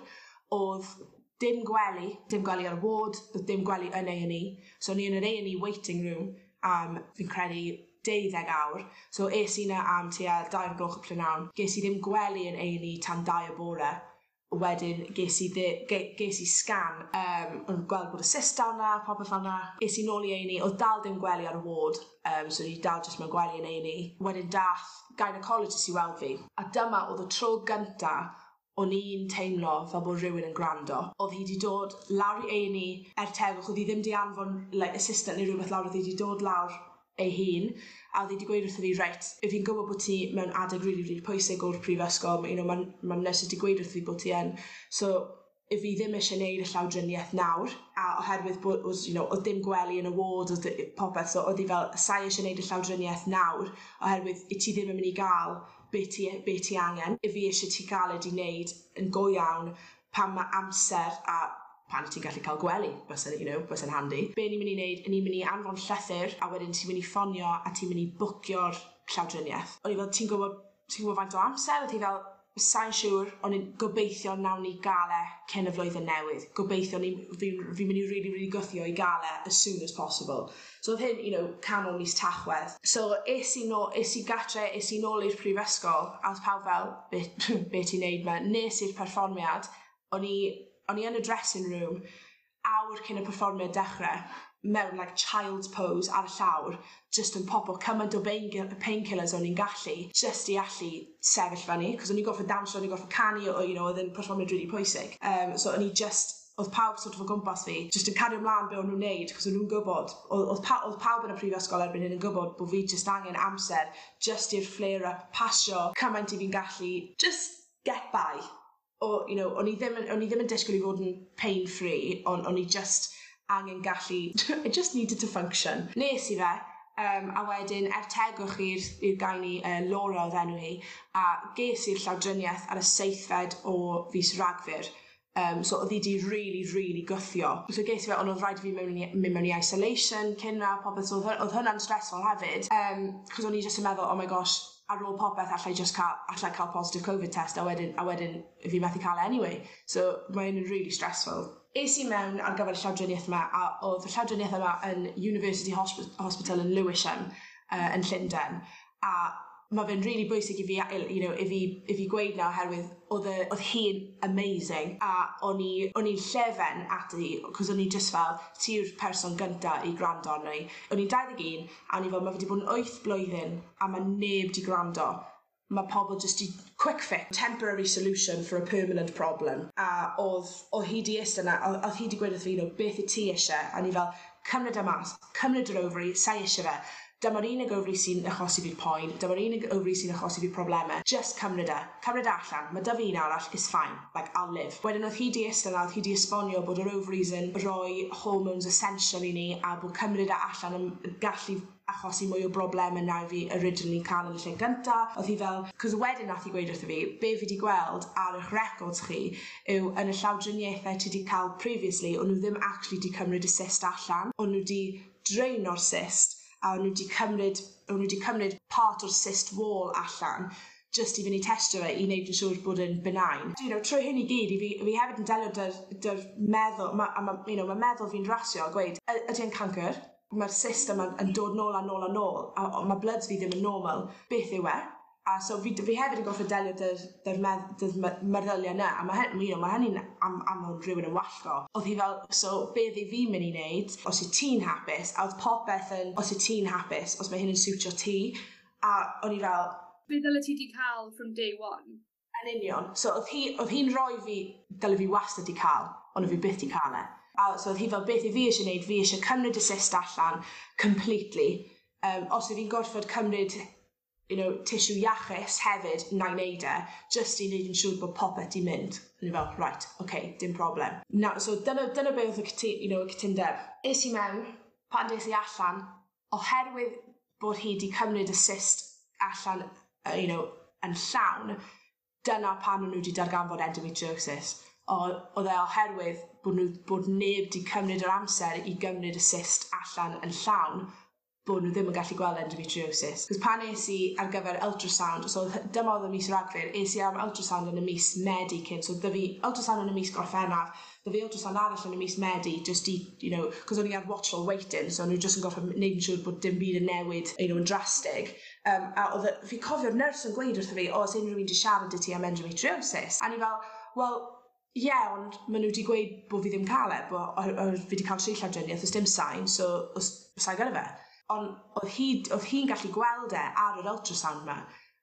oedd dim gwely, dim gwely ar y ward, oedd dim gwely yn A and E. So o'n i yn yr A and E waiting room am, fi'n credu, deuddeg awr. So es i na am tua dau o'r gloch y prynhawn. Ges i ddim gwely yn A and E tan dau y bore. Wedyn ges i, dde, ge, ges i sgan, um, o'n gweld bod y cyst dal 'na, popeth fel 'na. Es i nôl i A and E, oedd dal dim gwely ar y ward, um, so o'n i dal jyst mewn gwely yn A and E. Wedyn dath gynecologist i weld fi, a dyma oedd y tro gynta o'n i'n teimlo fel bod rhywun yn gwrando. Oedd hi 'di dod lawr i A and E er tegwch, oedd hi ddim 'di anfon like, assistant neu rhywbeth lawr, oedd hi 'di dod lawr ei hun, a oedd hi 'di gweud wrtho fi, reit, if fi'n gwybod bod ti mewn adeg rili, rili pwysig o'r prifysgol, you know, ma'n ma nyrs wedi gweud wrtho fi bod ti yn, so if fi ddim eisiau neud y llawdriniaeth nawr, a oherwydd bod, was, you know, oedd dim gwely yn y ward, oedd popeth, so oedd hi fel, sai eisiau neud y llawdriniaeth nawr, oherwydd i ti ddim yn mynd i gael be ti, be ti angen, if fi eisiau ti gael e 'di neud yn go iawn pan mae amser a pan ti'n gallu cael gwely, bysa'n, you know, bysa'n handi. Be ni'n mynd i wneud, ni'n mynd i anfon llythyr, a wedyn ti'n mynd i ffonio a ti'n mynd i bwcio'r llawdriniaeth. O'n i fel, ti'n gwybod, ti'n gwybod faint o amser? Oedd hi fel, sai'n siŵr, o'n i'n gobeithio nawn ni gael e cyn y flwyddyn newydd. Gobeithio ni, fi'n fi mynd i really, really gwthio i gael e as soon as possible. So oedd hyn, you know, canol mis Tachwedd. So es i, no, es i gatre, es i nôl i'r prifysgol, a oedd pawb fel, be, be ti'n neud 'ma? Nes i'r perfformiad, o'n i o'n i yn y dressing room awr cyn y perfformiad dechrau, mewn like child's pose ar y llawr, just yn popo cymaint o painkillers o'n i'n gallu, just i allu sefyll fyny, cos o'n i'n gorfod dawnsio, o'n i'n gorfod canu, o, you know, oedd yn perfformiad really pwysig. Um, so o'n i just, oedd pawb sort of o gwmpas fi, just yn cario ymlaen be o'n nhw'n neud, cos o'n nhw'n gwybod, oedd, pa, oedd pawb yn y prifysgol erbyn hyn yn gwybod bod fi just angen amser, just i'r flare-up pasio, cymaint i fi'n gallu, just get by. O, you know, o'n i ddim yn, o'n i ddim yn disgwyl i fod yn pain-free, ond o'n i just angen gallu, I just needed to function. Nes i fe, um, a wedyn er tegwch i'r i'r gynae, uh, Laura oedd enw hi, a ges i'r llawdriniaeth ar y seithfed o fis Rhagfyr. Um, so oedd hi 'di really, really gwthio. So ges i fe, ond oedd rhaid i fi mewn i, mynd mewn i isolation cyn na popeth, so oedd, oedd hwnna'n stressful hefyd. Um, cos o'n i just yn meddwl, oh my gosh, ar ôl popeth allai just cael, allai cael positive Covid test a wedyn, a wedyn fi methu cael e anyway. So mae'n really stressful. Es i mewn ar gyfer y llawdriniaeth yma, a oedd y llawdriniaeth yma yn University Hosp- Hospital yn Lewisham, uh, yn Llundain, a Ma' fe'n rili bwysig i fi a- il you know i fi i fi gweud 'na oherwydd o'dd y o'dd hi'n amazing a o'n i o'n i'n llefen ati 'c'os o'n i jyst fel ti yw'r person gynta i gwrando arno i. O'n i'n dau ddeg un a o'n i fel ma' fe 'di bod yn wyth blwyddyn a ma' neb 'di gwrando. Ma' pobol jyst 'di quick fix temporary solution for a permanent problem a o'dd o'dd hi 'di iste 'na a o'dd hi 'di gweud wrth fi you know beth 'yt ti isie a o'n i fel cymryd e mas, cymryd yr ofari, sai isie fe. Dyma'r unig ofari sy'n achosi fi'r poen, dyma'r unig ofari sy'n achosi fi probleme, jyst cymryd e, cymryd e allan, ma' 'dy fi un arall, it's fine, like I'll live. Wedyn o'dd hi 'di iste 'na o'dd hi 'di esbonio bod yr ovaries yn roi hormones essential i ni a bod cymryd e allan yn gallu achosi mwy o brobleme na fi originally ca'l yn y lle gynta. O'dd hi fel 'c'os wedyn nath hi gweud wrtho fi be' fi 'di gweld ar 'ych records chi yw yn y llawdriniaethe ti 'di ca'l previously o'n n'w ddim actually 'di cymryd y cyst allan o'n n'w 'di draino'r cyst a o'n n'w 'di cymryd o'n n'w 'di cymryd part o'r cyst wall allan jyst i fyn' i testio fe i neud yn siŵr bod e'n benign. You know trwy hyn i gyd 'yf fi fi hefyd yn delio 'dy'r 'dy'r meddwl ma' a ma' you know ma' meddwl fi'n rasio a gweud y- ydi e'n cancyr? Ma'r cyst yma yn dod nôl a nôl a nôl a o- ma' bloods fi ddim yn normal beth yw e? A so fi d- fi hefyd yn gorffod delio 'dy'r 'dy'r medd- 'dy'r me- meddylie 'na a ma' hy- you know ma' hynny'n am am fod rhywun yn wallgo. O'dd hi fel so be' fi fi myn' i neud os yt ti'n hapus a o'dd popeth yn os yt ti'n hapus os ma' hyn yn siwtio ti a o'n i fel Be' ddyle ti 'di ca'l from day one. Yn union. So o'dd hi o'dd hi'n roi fi dyle fi wastad 'di ca'l on' o' fi byth 'di ca'l e. A so o'dd hi fel beth 'yf fi isie neud fi isie cymryd y cyst allan completely yym os 'yf fi'n gorffod cymryd you know tissue iachus hefyd 'nai neud e jyst i neud yn siŵr bo' popeth 'di mynd. O'n i fel reit oce dim problem. Na so dyna dyna be' o'dd y cytu- you know y cytundeb. Es i mewn pan des i allan oherwydd bod hi 'di cymryd y cyst allan yy you know yn llawn dyna pan o'n n'w 'di darganfod endometriosis. O- o'dd e oherwydd bo' n'w bod neb 'di cymryd yr amser i gymryd y cyst allan yn llawn bo' n'w ddim yn gallu gweld endometriosis. 'C'os pan es i ar gyfer ultrasound so o'dd hy- dyma o'dd ym mis Ragfyr es i am ultrasound yn y mis Medi cyn so 'dy fi ultrasound yn y mis Gorffennaf 'dy fi ultrasound arall yn y mis Medi jyst i you know 'c'os o'n i ar watchful waiting so o'n n'w jyst yn gorffo m- neud yn siŵr bod dim byd yn newid you know yn drastig yym a o'dd y fi cofio'r nyrs yn gweud wrtho fi o o's unryw un 'di siarad 'dy ti am endometriosis? A o'n i fel wel ie ond ma' n'w 'di gweud bo' fi ddim ca'l e bo' o- o- fi 'di ca'l tri llawdrinieth o's dim sign so o's sai gyda fe. On' o'dd hi d- o'dd hi'n gallu gweld e ar yr ultrasound 'ma.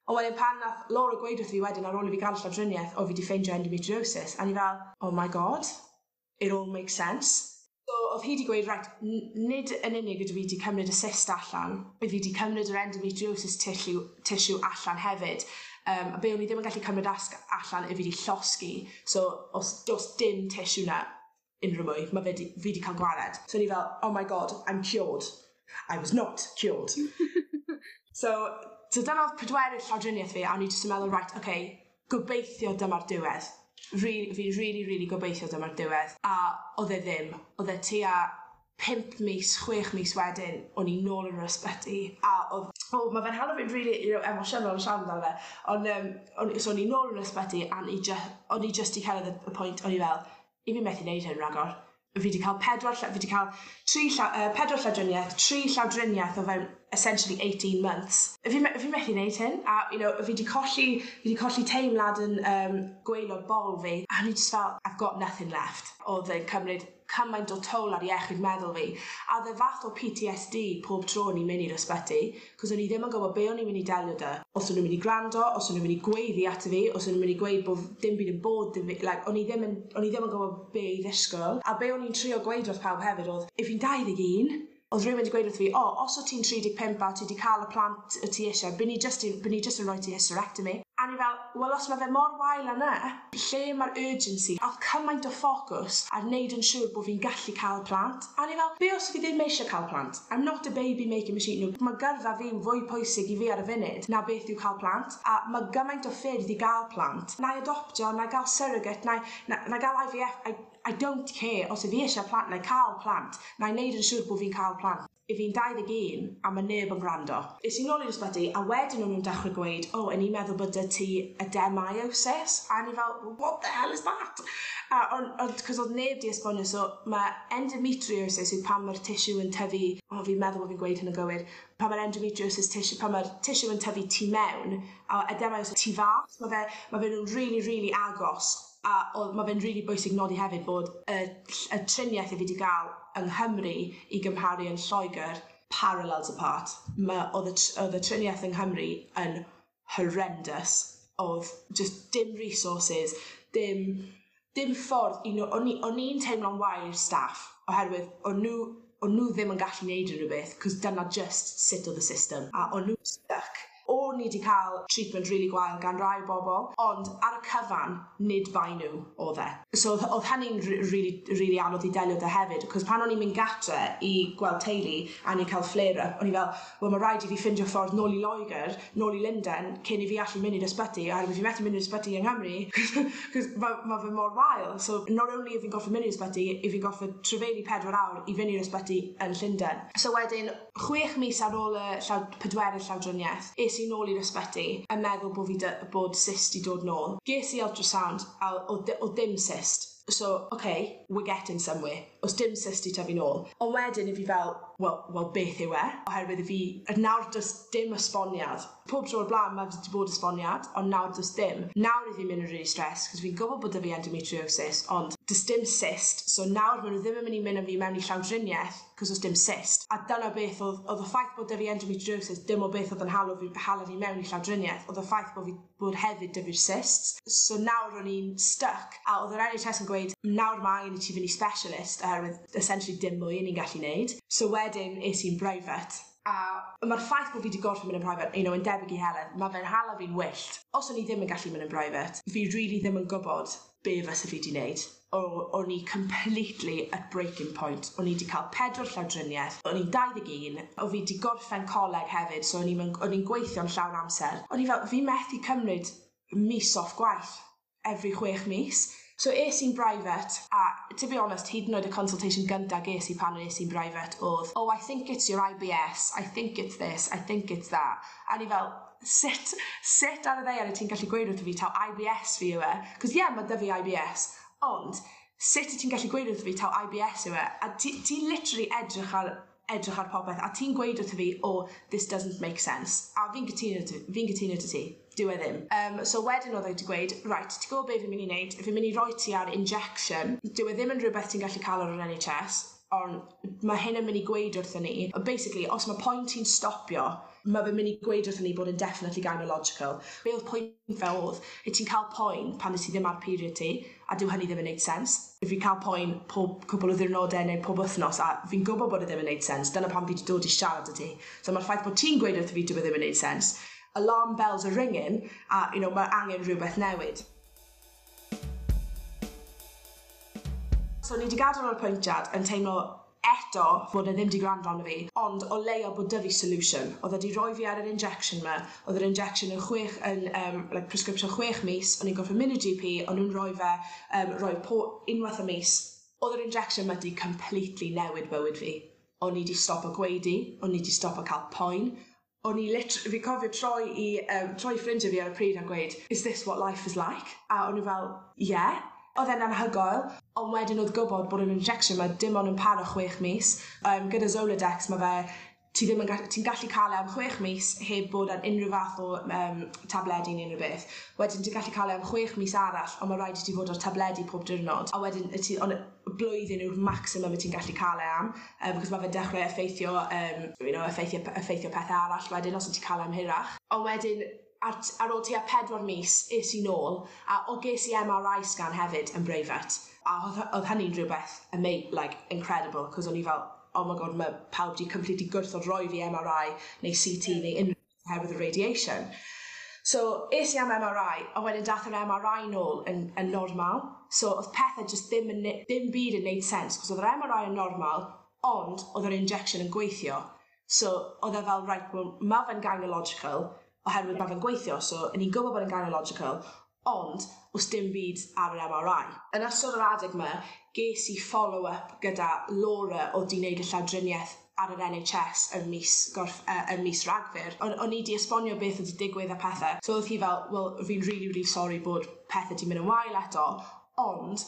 On' wedyn pan nath Laura gweud wrth fi wedyn ar ôl i fi ga'l llawdrinieth o fi 'di ffeindio endometriosis a o'n i fel oh my god it all makes sense. So o'dd hi 'di gweud reit n- nid yn unig ydw i 'di cymryd y cyst allan by' fi 'di cymryd yr endometriosis tissue tissue allan hefyd yym a be' o'n i ddim yn gallu cymryd asg- allan 'yf fi 'di llosgi so o's do's dim tissue 'na unryw mwy ma' fe 'di fi 'di ca'l gwared. So o'n i fel oh my god I'm cured. I was not cured. So so dyna o'dd pedwerydd llawdrinieth fi a o'n i jyst yn meddwl reit oce gobeithio dyma'r diwedd. Rili fi rili rili gobeithio dyma'r diwedd a o'dd e ddim. O'dd e tua pump mis chwech mis wedyn o'n i nôl yn yr ysbyty a o'dd o ma' fe'n hala fi'n rili you know emosiynol siarad amdano fe on' yym o'n i so o'n i nôl yn yr ysbyty a o'n i jy- o'n i jyst 'di cyrraedd y y pwynt o'n i fel 'yf fi methu neud hyn ragor. Fi 'di ca'l pedwar lla- fi 'di ca'l tri llaw- yy pedwar llawdrinieth, tri llawdrinieth o fewn essentially eighteen months. Fi me- fi methu neud hyn a you know fi 'di colli fi 'di colli teimlad yn yym gwaelod bol fi a o'n i jyst fel I've got nothing left. O'dd e'n cymryd cymaint o toll ar iechyd meddwl fi a o'dd e fath o P T S D pob tro o'n i'n myn' i'r ysbyty 'c'os o'n i ddim yn gwbo be' o'n i myn' i delio 'dy os o'n nw'n myn' i gwrando os o'n nw'n myn' i gweiddi ato fi os o'n nw'n myn' i gweud bo' f- dim byd yn bod 'dy fi like o'n i ddim yn o'n i ddim yn gwbo be' i ddisgwl a be' o'n i'n trio gweud wrth pawb hefyd o'dd 'yf fi'n dau ddeg un o'dd rywun 'di gweud wrth fi o os wt ti'n tri deg pump a ti 'di ca'l y plant y ti isie by' ni jyst 'di by' ni jyst yn roi ti hysterectomy. A o'n i fel wel os ma' fe mor wael â 'ny lle ma'r urgency? A o'dd cymaint o ffocws ar neud yn siŵr bo' fi'n gallu ca'l plant a o'n i fel be' os fi ddim eisie ca'l plant? I'm not a baby making machine you know ma' gyrfa fi'n fwy pwysig i fi ar y funud na beth yw ca'l plant a ma' gymaint o ffyrdd i ga'l plant. 'Nai adoptio 'nai ga'l surrogate 'nai 'na- 'nai ga'l I Vee Eff I I don't care os 'yf fi isie plant 'nai ca'l plant 'nai neud yn siŵr bo' fi'n ca'l plant. I fi'n dau ddeg un a ma' neb yn gwrando. Es i nôl i'r ysbyty a wedyn o'n nw'n dechre gweud o 'yn ni'n meddwl bod 'dy ti ademyosis a o'n i fel what the hell is that? A o'n o'dd 'c'os o'dd neb 'di esbonio so ma' endometriosis yw pan ma'r tissue yn tyfu o fi'n meddwl bo' fi'n gweud hyn yn gywir pan ma'r endometriosis tissue pan ma'r tissue yn tyfu tu mewn a ademosis tu fas ma' fe ma' fe nw'n rili rili agos a o'dd ma' fe'n rili bwysig nodi hefyd bod y ll- y trinieth 'yf fi 'di ga'l yng Nghymru i gymharu yn Lloegyr parallels apart. Ma' o'dd y tr- o'dd y trinieth yng Nghymru yn horrendous. O'dd jyst dim resources dim dim ffordd you know o'n i o'n i'n teimlo'n wael i'r staff oherwydd o'n n'w o'n n'w ddim yn gallu neud unryw beth 'c'os dyna jyst sut o'dd y system a o'n nw'n styc. O'n i 'di ca'l treatment rili gwael gan rai bobol ond ar y cyfan nid bai n'w o'dd e. So o'dd o'dd hynny'n r- rili rili anodd i delio 'dy hefyd 'c'os pan o'n i'n mynd gatre i gweld teulu a o'n i'n ca'l flare up o'n i fel wel ma' raid i fi ffindio ffordd nôl i Loegyr nôl i Lunden cyn i fi allu mynd i'r ysbyty oherwydd fi methu mynd i'r ysbyty yng Nghymru 'c'os ma' ma' fe mor wael so not only 'yf fi'n gorffod mynd i'r ysbyty 'yf fi'n gorffod trafeilu pedwar awr i fyn' i'r ysbyty yn Llunden. So wedyn chwech mis ar ôl y llaw- pedwerydd llawdrinieth es i nôl i'r ysbyty yn meddwl bo' fi 'dy bod cyst 'di dod nôl. Ges i ultrasound a o'dd dy- o'dd dim cyst. So okay we're getting somewhere. O's dim cyst 'di tyfu nôl. On' wedyn 'yf fi fel wel wel beth yw e? Oherwydd 'yf fi yy nawr do's dim esboniad. Pob tro o'r bla'n ma' 'di bod esboniad on' nawr do's dim. Nawr 'yf fi'n myn' yn rili stressed 'c'os fi'n gwbo bod 'dy fi endometriosis ond do's dim cyst so nawr ma' n'w ddim yn myn' i myn' â fi mewn i llawdrinieth 'c'os o's dim cyst. A dyna beth o'dd o'dd y ffaith bod 'dy fi endometriosis dim o beth o'dd yn hala fi hala fi mewn i llawdrinieth o'dd y ffaith bo' fi bod hefyd 'dy fi'r cysts. So nawr o'n i'n styc a o'dd yr En H Es yn gweud nawr ma' angen i ti fyn' i specialist oherwydd essentially dim mwy 'yn ni'n gallu neud. So wedyn es i'n brifet a ma'r ffaith bo' fi 'di gorffod mynd yn private you know yn debyg i Heledd ma' fe'n hala fi'n wyllt. Os o'n i ddim yn gallu mynd yn brifet fi rili ddim yn gwbod be' fysa fi 'di neud. O- o'n i completely at breaking point. O'n i 'di ca'l pedwar llawdrinieth, o'n i'n dau ddeg un, o' fi 'di gorffen coleg hefyd so o'n i'm yn o'n i'n gweithio'n llawn amser. O'n i fel fi methu cymryd mis off gwaith every chwech mis. So es i'n brifet a to be honest hyd yn oed y consultation gynta ges i pan es i'n brifet o'dd oh I think it's your I Bee Ess, I think it's this, I think it's that. A o'n i fel sut sut ar y ddaear wyt ti'n gallu gweud wrtho fi taw I Bee Ess fi yw e? 'C'os ie ma' 'dy fi I Bee Ess ond sut yt ti'n gallu gweud wrtho fi taw I Bee Ess yw e? A ti ti literally edrych ar edrych ar popeth a ti'n gweud wrtho fi oh this doesn't make sense. A fi'n cytuno 'dy fi'n cytuno 'dy ti. Dyw e ddim. Um, so wedyn o'dd e 'di gweud reit ti gwbo be' fi'n myn' i neud fi'n myn' i roi ti ar injection dyw e ddim yn rwbeth ti'n gallu ca'l ar yr En H Es on' ma' hyn yn myn' i gweud wrthon ni yy basically os ma' poen ti'n stopio ma' fe myn' i gweud wrthon ni bod yn definitely gynelogical. Be' o'dd pwynt fe o'dd 'yt ti'n ca'l poen pan 'yt ti ddim ar period ti a dyw hynny ddim yn neud sense. If fi'n ca'l poen pob cwpwl o ddiwrnode neu pob wthnos a fi'n gwbo bod e ddim yn neud sense dyna pam fi 'di dod i siarad 'dy ti. So ma'r ffaith bod ti'n gweud wrtho fi dyw e ddim yn neud sense alarm bells are ringing a you know ma' angen rhywbeth newid. So o'n i 'di gadel yr apwyntiad yn teimlo eto bod e ddim 'di gwrando arno fi ond o leia bod 'dy fi solution. O'dd e 'di roi fi ar yr injection 'ma o'dd yr injection yn chwech yn yym like prescription chwech mis o'n i'n gorffod mynd i'r Gee Pee o'n nw'n roi fe yym roi po- unwaith y mis. O'dd yr injection 'ma 'di completely newid bywyd fi. O'n i 'di stopo gwaedu, o'n i 'di stopo ca'l poen. O'n i lit- fi cofio troi i yym troi i ffrindie fi ar y pryd a gweud is this what life is like? A o'n n'w fel yeah. O'dd e'n anhygoel on' wedyn o'dd gwbod bod yr injection 'ma dim ond yn para chwech mis yym gyda Zoladex ma' fe ti ddim yn ga- ti'n gallu ca'l e am chwech mis heb bod ar unryw fath o yym tabledi ne' unryw beth. Wedyn ti'n gallu ca'l e am chwech mis arall on' ma' raid i ti fod ar tabledi pob diwrnod a wedyn y ti on' y blwyddyn yw'r maximum y ti'n gallu ca'l e am yym because ma' fe'n dechre effeithio yym you know effeithio p- effeithio pethe arall wedyn os wyt ti'n ca'l e am hirach. On' wedyn ar t- ar ôl tua pedwar mis es i nôl a o ges i Em Are I scan hefyd yn breifat a o'dd hy- o'dd hynny'n rhywbeth ama- like incredible 'cos o'n i fel oh my god ma' pawb 'di completely gwrthod roi fi Em Are I neu See Tee neu unryw oherwydd y radiation. So es i am Em Are I a wedyn dath yr Em Are I nôl yn yn normal so o'dd pethe jyst ddim yn ne- dim byd yn neud sense 'c'os o'dd yr Em Are I yn normal ond o'dd yr injection yn gweithio so o'dd e fel reit wel ma' fe'n gynelogical oherwydd ma' fe'n gweithio so 'yn ni'n gwbo bod e'n gynelogical ond o's dim byd ar yr Em Are I. Yn ystod yr adeg 'ma ges i follow up gyda Laura o'dd 'di neud y llawdrinieth ar yr N H S ym mis gorff- uh, ym mis Rhagfyr. O'n o'n i 'di esbonio beth o'dd 'di digwydd a pethe. So o'dd hi fel, "Wel, fi'n rili rili sori bod pethe 'di mynd yn wael eto, ond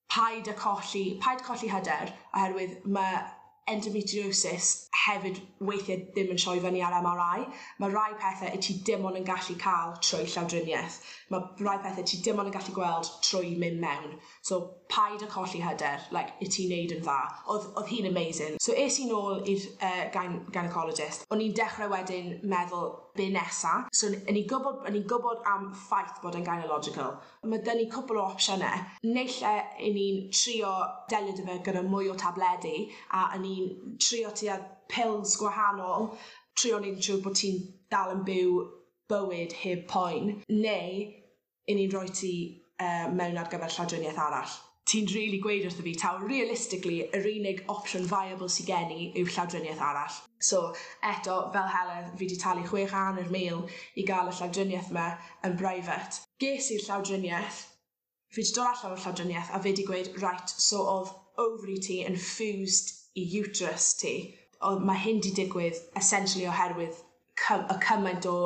paid â colli paid colli hyder oherwydd ma' endometriosis hefyd weithie ddim yn troi fyny ar M R I. Ma' rai pethe 'yt ti dim ond yn gallu ca'l trwy llawdrinieth. Ma' rai pethe ti dim ond yn gallu gweld trwy mynd mewn. So paid â colli hyder, like, 'yt ti'n neud yn dda." O'dd o'dd hi'n amazing. So es i nôl i'r yy gyn- gynecologist. O'n i'n dechre wedyn meddwl be nesa. So n- o'n i'n gwbod o'n i'n gwbod am ffaith bod e'n gynalogical. Ma' 'dyn ni cwpwl o opsiyne. Naill e 'yn ni'n trio delio 'dy fe gyda mwy o tabledi a 'yn ni'n trio tua pills gwahanol, trio neud yn siŵr bo' ti'n dal yn byw bywyd heb poen, neu 'yn ni'n roi ti yy mewn ar gyfer llawdrinieth arall. Ti'n rili gweud wrtho fi taw realistically yr unig opsiwn viable sy gen i yw llawdrinieth arall. So eto fel Heledd, fi 'di talu chwech a hanner mil i ga'l y llawdrinieth 'ma yn private. Ges i'r llawdrinieth, fi 'di dod allan o'r llawdrinieth a fe 'di gweud, "Right, so o'dd ovary ti yn fused i uterus ti. O'dd ma' hyn 'di digwydd essentially oherwydd cy- y cymaint o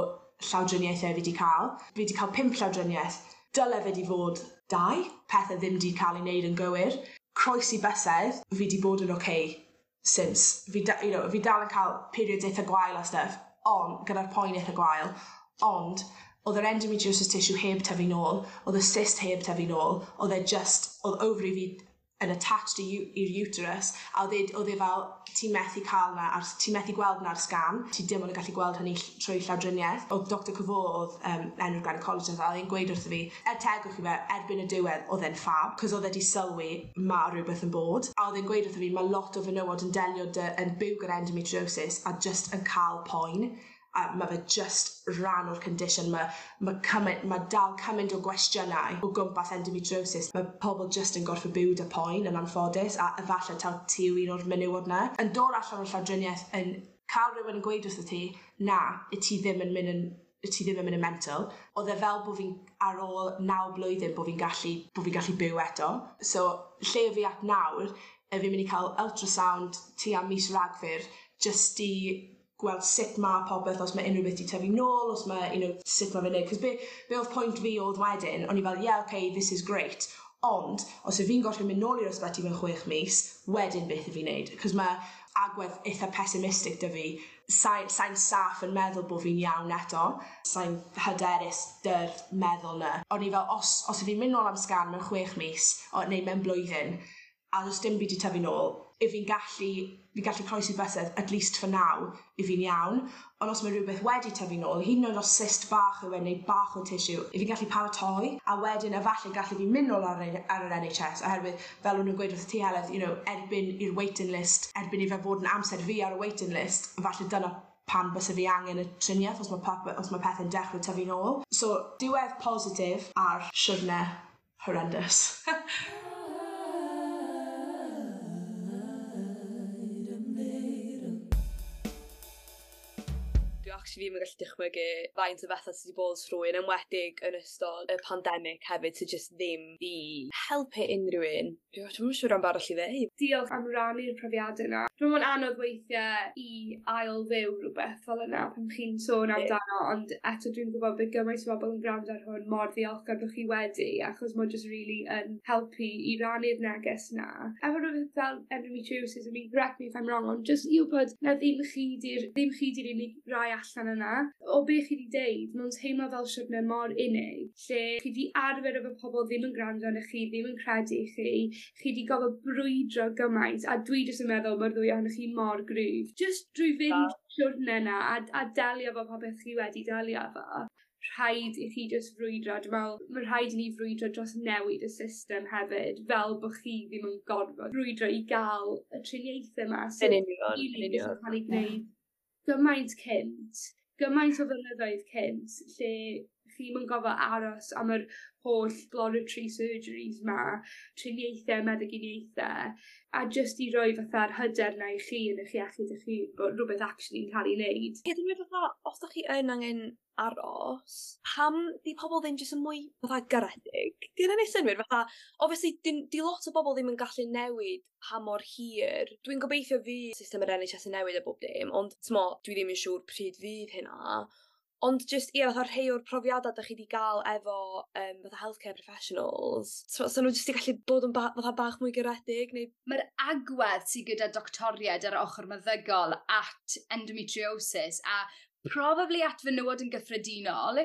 llawdriniaethe fi 'di ca'l. Fi 'di ca'l pump llawdrinieth, dyle fe 'di fod dau, pethe ddim 'di ca'l ei neud yn gywir. Croesi bysedd, fi 'di bod yn okay since. Fi da- you know fi dal yn ca'l periods eitha gwael a stuff on' gyda'r poen eitha gwael, ond o'dd yr endometriosis tissue heb tyfu nôl, o'dd y cyst heb tyfu nôl, o'dd e just o'dd ovary fi yn attached i u- i'r uterus a o'dd e o'dd e fel ti methu ca'l 'na ar ti methu gweld 'na ar sgan, ti dim ond yn gallu gweld hynny ll- trwy llawdrinieth." O'dd Doctor Kavor, o'dd yym enw'r gynecologist, a o'dd e'n gweud wrtho fi, er tegwch i fe, erbyn y diwedd o'dd e'n ffab 'cos o'dd e 'di sylwi ma' rywbeth yn bod a o'dd e'n gweud wrtho fi ma' lot o fenywod yn delio 'dy yn byw gyda endometriosis a jyst yn ca'l poen a ma' fe jyst rhan o'r condition. Ma' ma' cymaint ma' dal cymaint o gwestiynau o gwmpas endometriosis. Ma' pobol jyst yn gorffo byw 'dy poen yn anffodus a efalle taw ti yw un o'r menywod 'na. Yn dod allan o'r llawdrinieth, yn ca'l rywun yn gweud wrtho ti, "Na, 'yt ti ddim yn mynd yn 'yt ti ddim yn mynd yn mental." O'dd e fel bo' fi'n ar ôl naw blwyddyn bo' fi'n gallu bo' fi'n gallu byw eto. So lle fi at nawr y fi'n myn' i ca'l ultrasound tua mis Ragfyr jyst i gweld sut ma' popeth, os ma' unryw beth 'di tyfu nôl, os ma' you know sut ma' fe'n neud, 'cos be' be' o'dd point fi o'dd wedyn, o'n i fel, "Yeah, okay, this is great, ond os 'yf fi'n gorffo mynd nôl i'r ysbyty mewn chwech mis wedyn, beth 'yf fi'n neud?" 'Cos ma' agwedd itha pessimistic 'dy fi. Sai sai'n saff yn meddwl bo' fi'n iawn eto, sai'n hyderus 'dy'r meddwl 'na. O'n i fel, os os 'yf fi'n mynd nôl am sgan mewn chwech mis o neu mewn blwyddyn a do's dim byd 'di tyfu nôl, 'yf fi'n gallu fi'n gallu croesi bysedd, at least for now 'yf fi'n iawn. Ond os ma' rywbeth wedi tyfu nôl, hyd yn oed os cyst bach yw e neu bach o tissue, 'yf fi'n gallu paratoi a wedyn efalle gallu fi mynd nôl ar y ar yr N H S, oherwydd fel o'n nw'n gweud wrth ti, Heledd, you know erbyn i'r waiting list, erbyn i fe fod yn amser fi ar y waiting list, efalle dyna pan byse fi angen y trinieth, os ma' pop- os ma' pethe'n dechre tyfu nôl. So diwedd positif ar siwrne horrendous. Dwi actually ddim yn gallu dychmygu faint o betha ti 'di bod trwy, yn enwedig yn ystod y pandemic hefyd sy jyst ddim 'di helpu unryw un. Dwi dwi'm yn siŵr am b' arall i ddeud. Diolch am rannu'r profiade 'na. Dwi me'wl ma'n anodd weithie i ail fyw rwbeth fel yna pan chi'n sôn amdano, ond eto dwi'n gwbod bydd gymaint o bobol yn grando ar hwn mor ddiolchgar bo' chi wedi, achos ma' jyst rili yn helpu i rannu'r neges 'na. Efo rwbeth fel endometriosis, I mean, correct me if I'm wrong, ond jyst i wbod na ddim chi 'di'r ddim chi 'di'r unig rai allan yna. O be' chi 'di deud, ma'n teimlo fel siwrne mor unig, lle chi 'di arfer efo pobol ddim yn grando arnoch chi, ddim yn credu chi, chi 'di gofo brwydro gymaint, a dwi jyst yn meddwl ma'r ddwy ohonoch chi mor gryf. Jyst drwy fynd siwrne 'na a a delio efo popeth chi wedi delio efo, rhaid i chi jyst frwydro. Dwi me'wl ma' rhaid i ni frwydro dros newid y system hefyd fel bo' chi ddim yn gorfod brwydro i ga'l y triniaethe 'ma Yn union, yn union. ca'l 'u gneud gymaint cynt, gymaint o flynyddoedd cynt, lle Chi'm yn gofo aros am yr holl exploratory surgeries 'ma triniaethe meddyginiaethe a jyst i roi fatha'r hyder 'na i chi yn 'ych iechyd 'ych hun bo' rwbeth actually'n ca'l 'i neud. Ie dwi'n meddwl fatha os 'dach chi yn angen aros, pam 'di pobol ddim jys yn mwy fatha garedig? 'Di wnna'n neud synnwyr? Fatha obviously 'dyn 'di lot o bobol ddim yn gallu newid pa mor hir dwi'n gobeithio fydd system yr En Haitch Ess yn newid a bob dim ond t'mo' dwi ddim yn siŵr pryd fydd hynna. Ond jyst ie fatha rhei o'r profiada 'dach chi 'di ga'l efo yym fatha healthcare professionals so sa n'w jyst 'di gallu bod yn ba- fatha bach mwy garedig neu... Ma'r agwedd sy gyda doctoried ar ochor meddygol at endometriosis a probably at fenywod yn gyffredinol,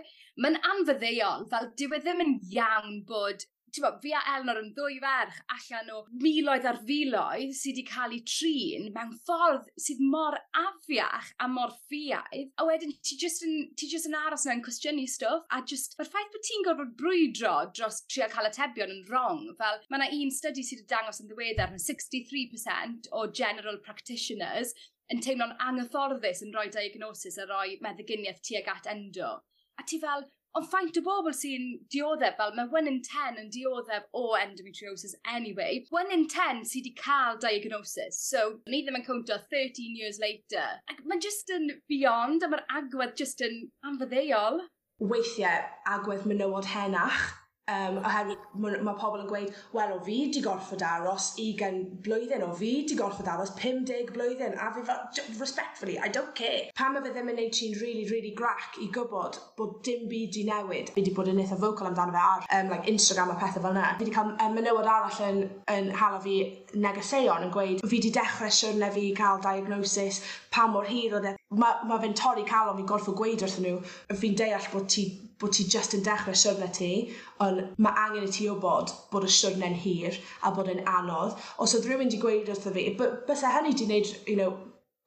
ma'n anfaddeuol, fel dyw e ddim yn iawn bod t'bo' fi a Elnor yn ddwy ferch allan o miloedd ar filoedd sy 'di ca'l 'u trin mewn ffordd sydd mor afiach a mor ffiaidd a wedyn ti jyst yn ti jyst yn aros 'na'n cwestiynu stwff a jyst ma'r ffaith bo' ti'n gorfod brwydro dros trio ca'l atebion yn rong fel ma' 'na un study sy 'di dangos yn ddiweddar ma' sixty three percent o general practitioners yn teimlo'n anghyfforddus yn rhoi diagnosis a roi meddyginieth tuag at endo. A ti fel, ond faint o bobl sy'n dioddef fel ma' one in ten yn dioddef o endometriosis anyway. One in ten sy 'di ca'l diagnosis so ni ddim yn cownto thirteen years later. Ac ma'n jyst yn beyond a ma'r agwedd jyst yn anfaddeuol. Weithie agwedd menywod henach um, oherwydd ma' ma' pobol yn gweud wel o fi 'di gorffod aros ugain blwyddyn o fi 'di gorffod aros pum deg blwyddyn a fi fel j- respectfully I don't care. Pam ma' fe ddim yn neud ti'n rili rili grac i gwbod bod dim byd 'di newid. Fi 'di bod yn itha vocal amdano fe ar yym like Instagram a pethe fel 'na. Fi 'di ca'l m- yy menywod arall yn yn hala fi negeseuon yn gweud fi 'di dechre siwrne fi i ca'l diagnosis pa mor hir o'dd e ma' ma' fe'n torri calon fi gorffo gweud wrthyn n'w fi'n deall bod ti bod ti jyst yn dechre siwrne ti on' ma' angen i ti wbod bod y siwrne'n hir a bod e'n anodd. Os o'dd rywun 'di gweud wrtho fi by- byse hynny 'di neud you know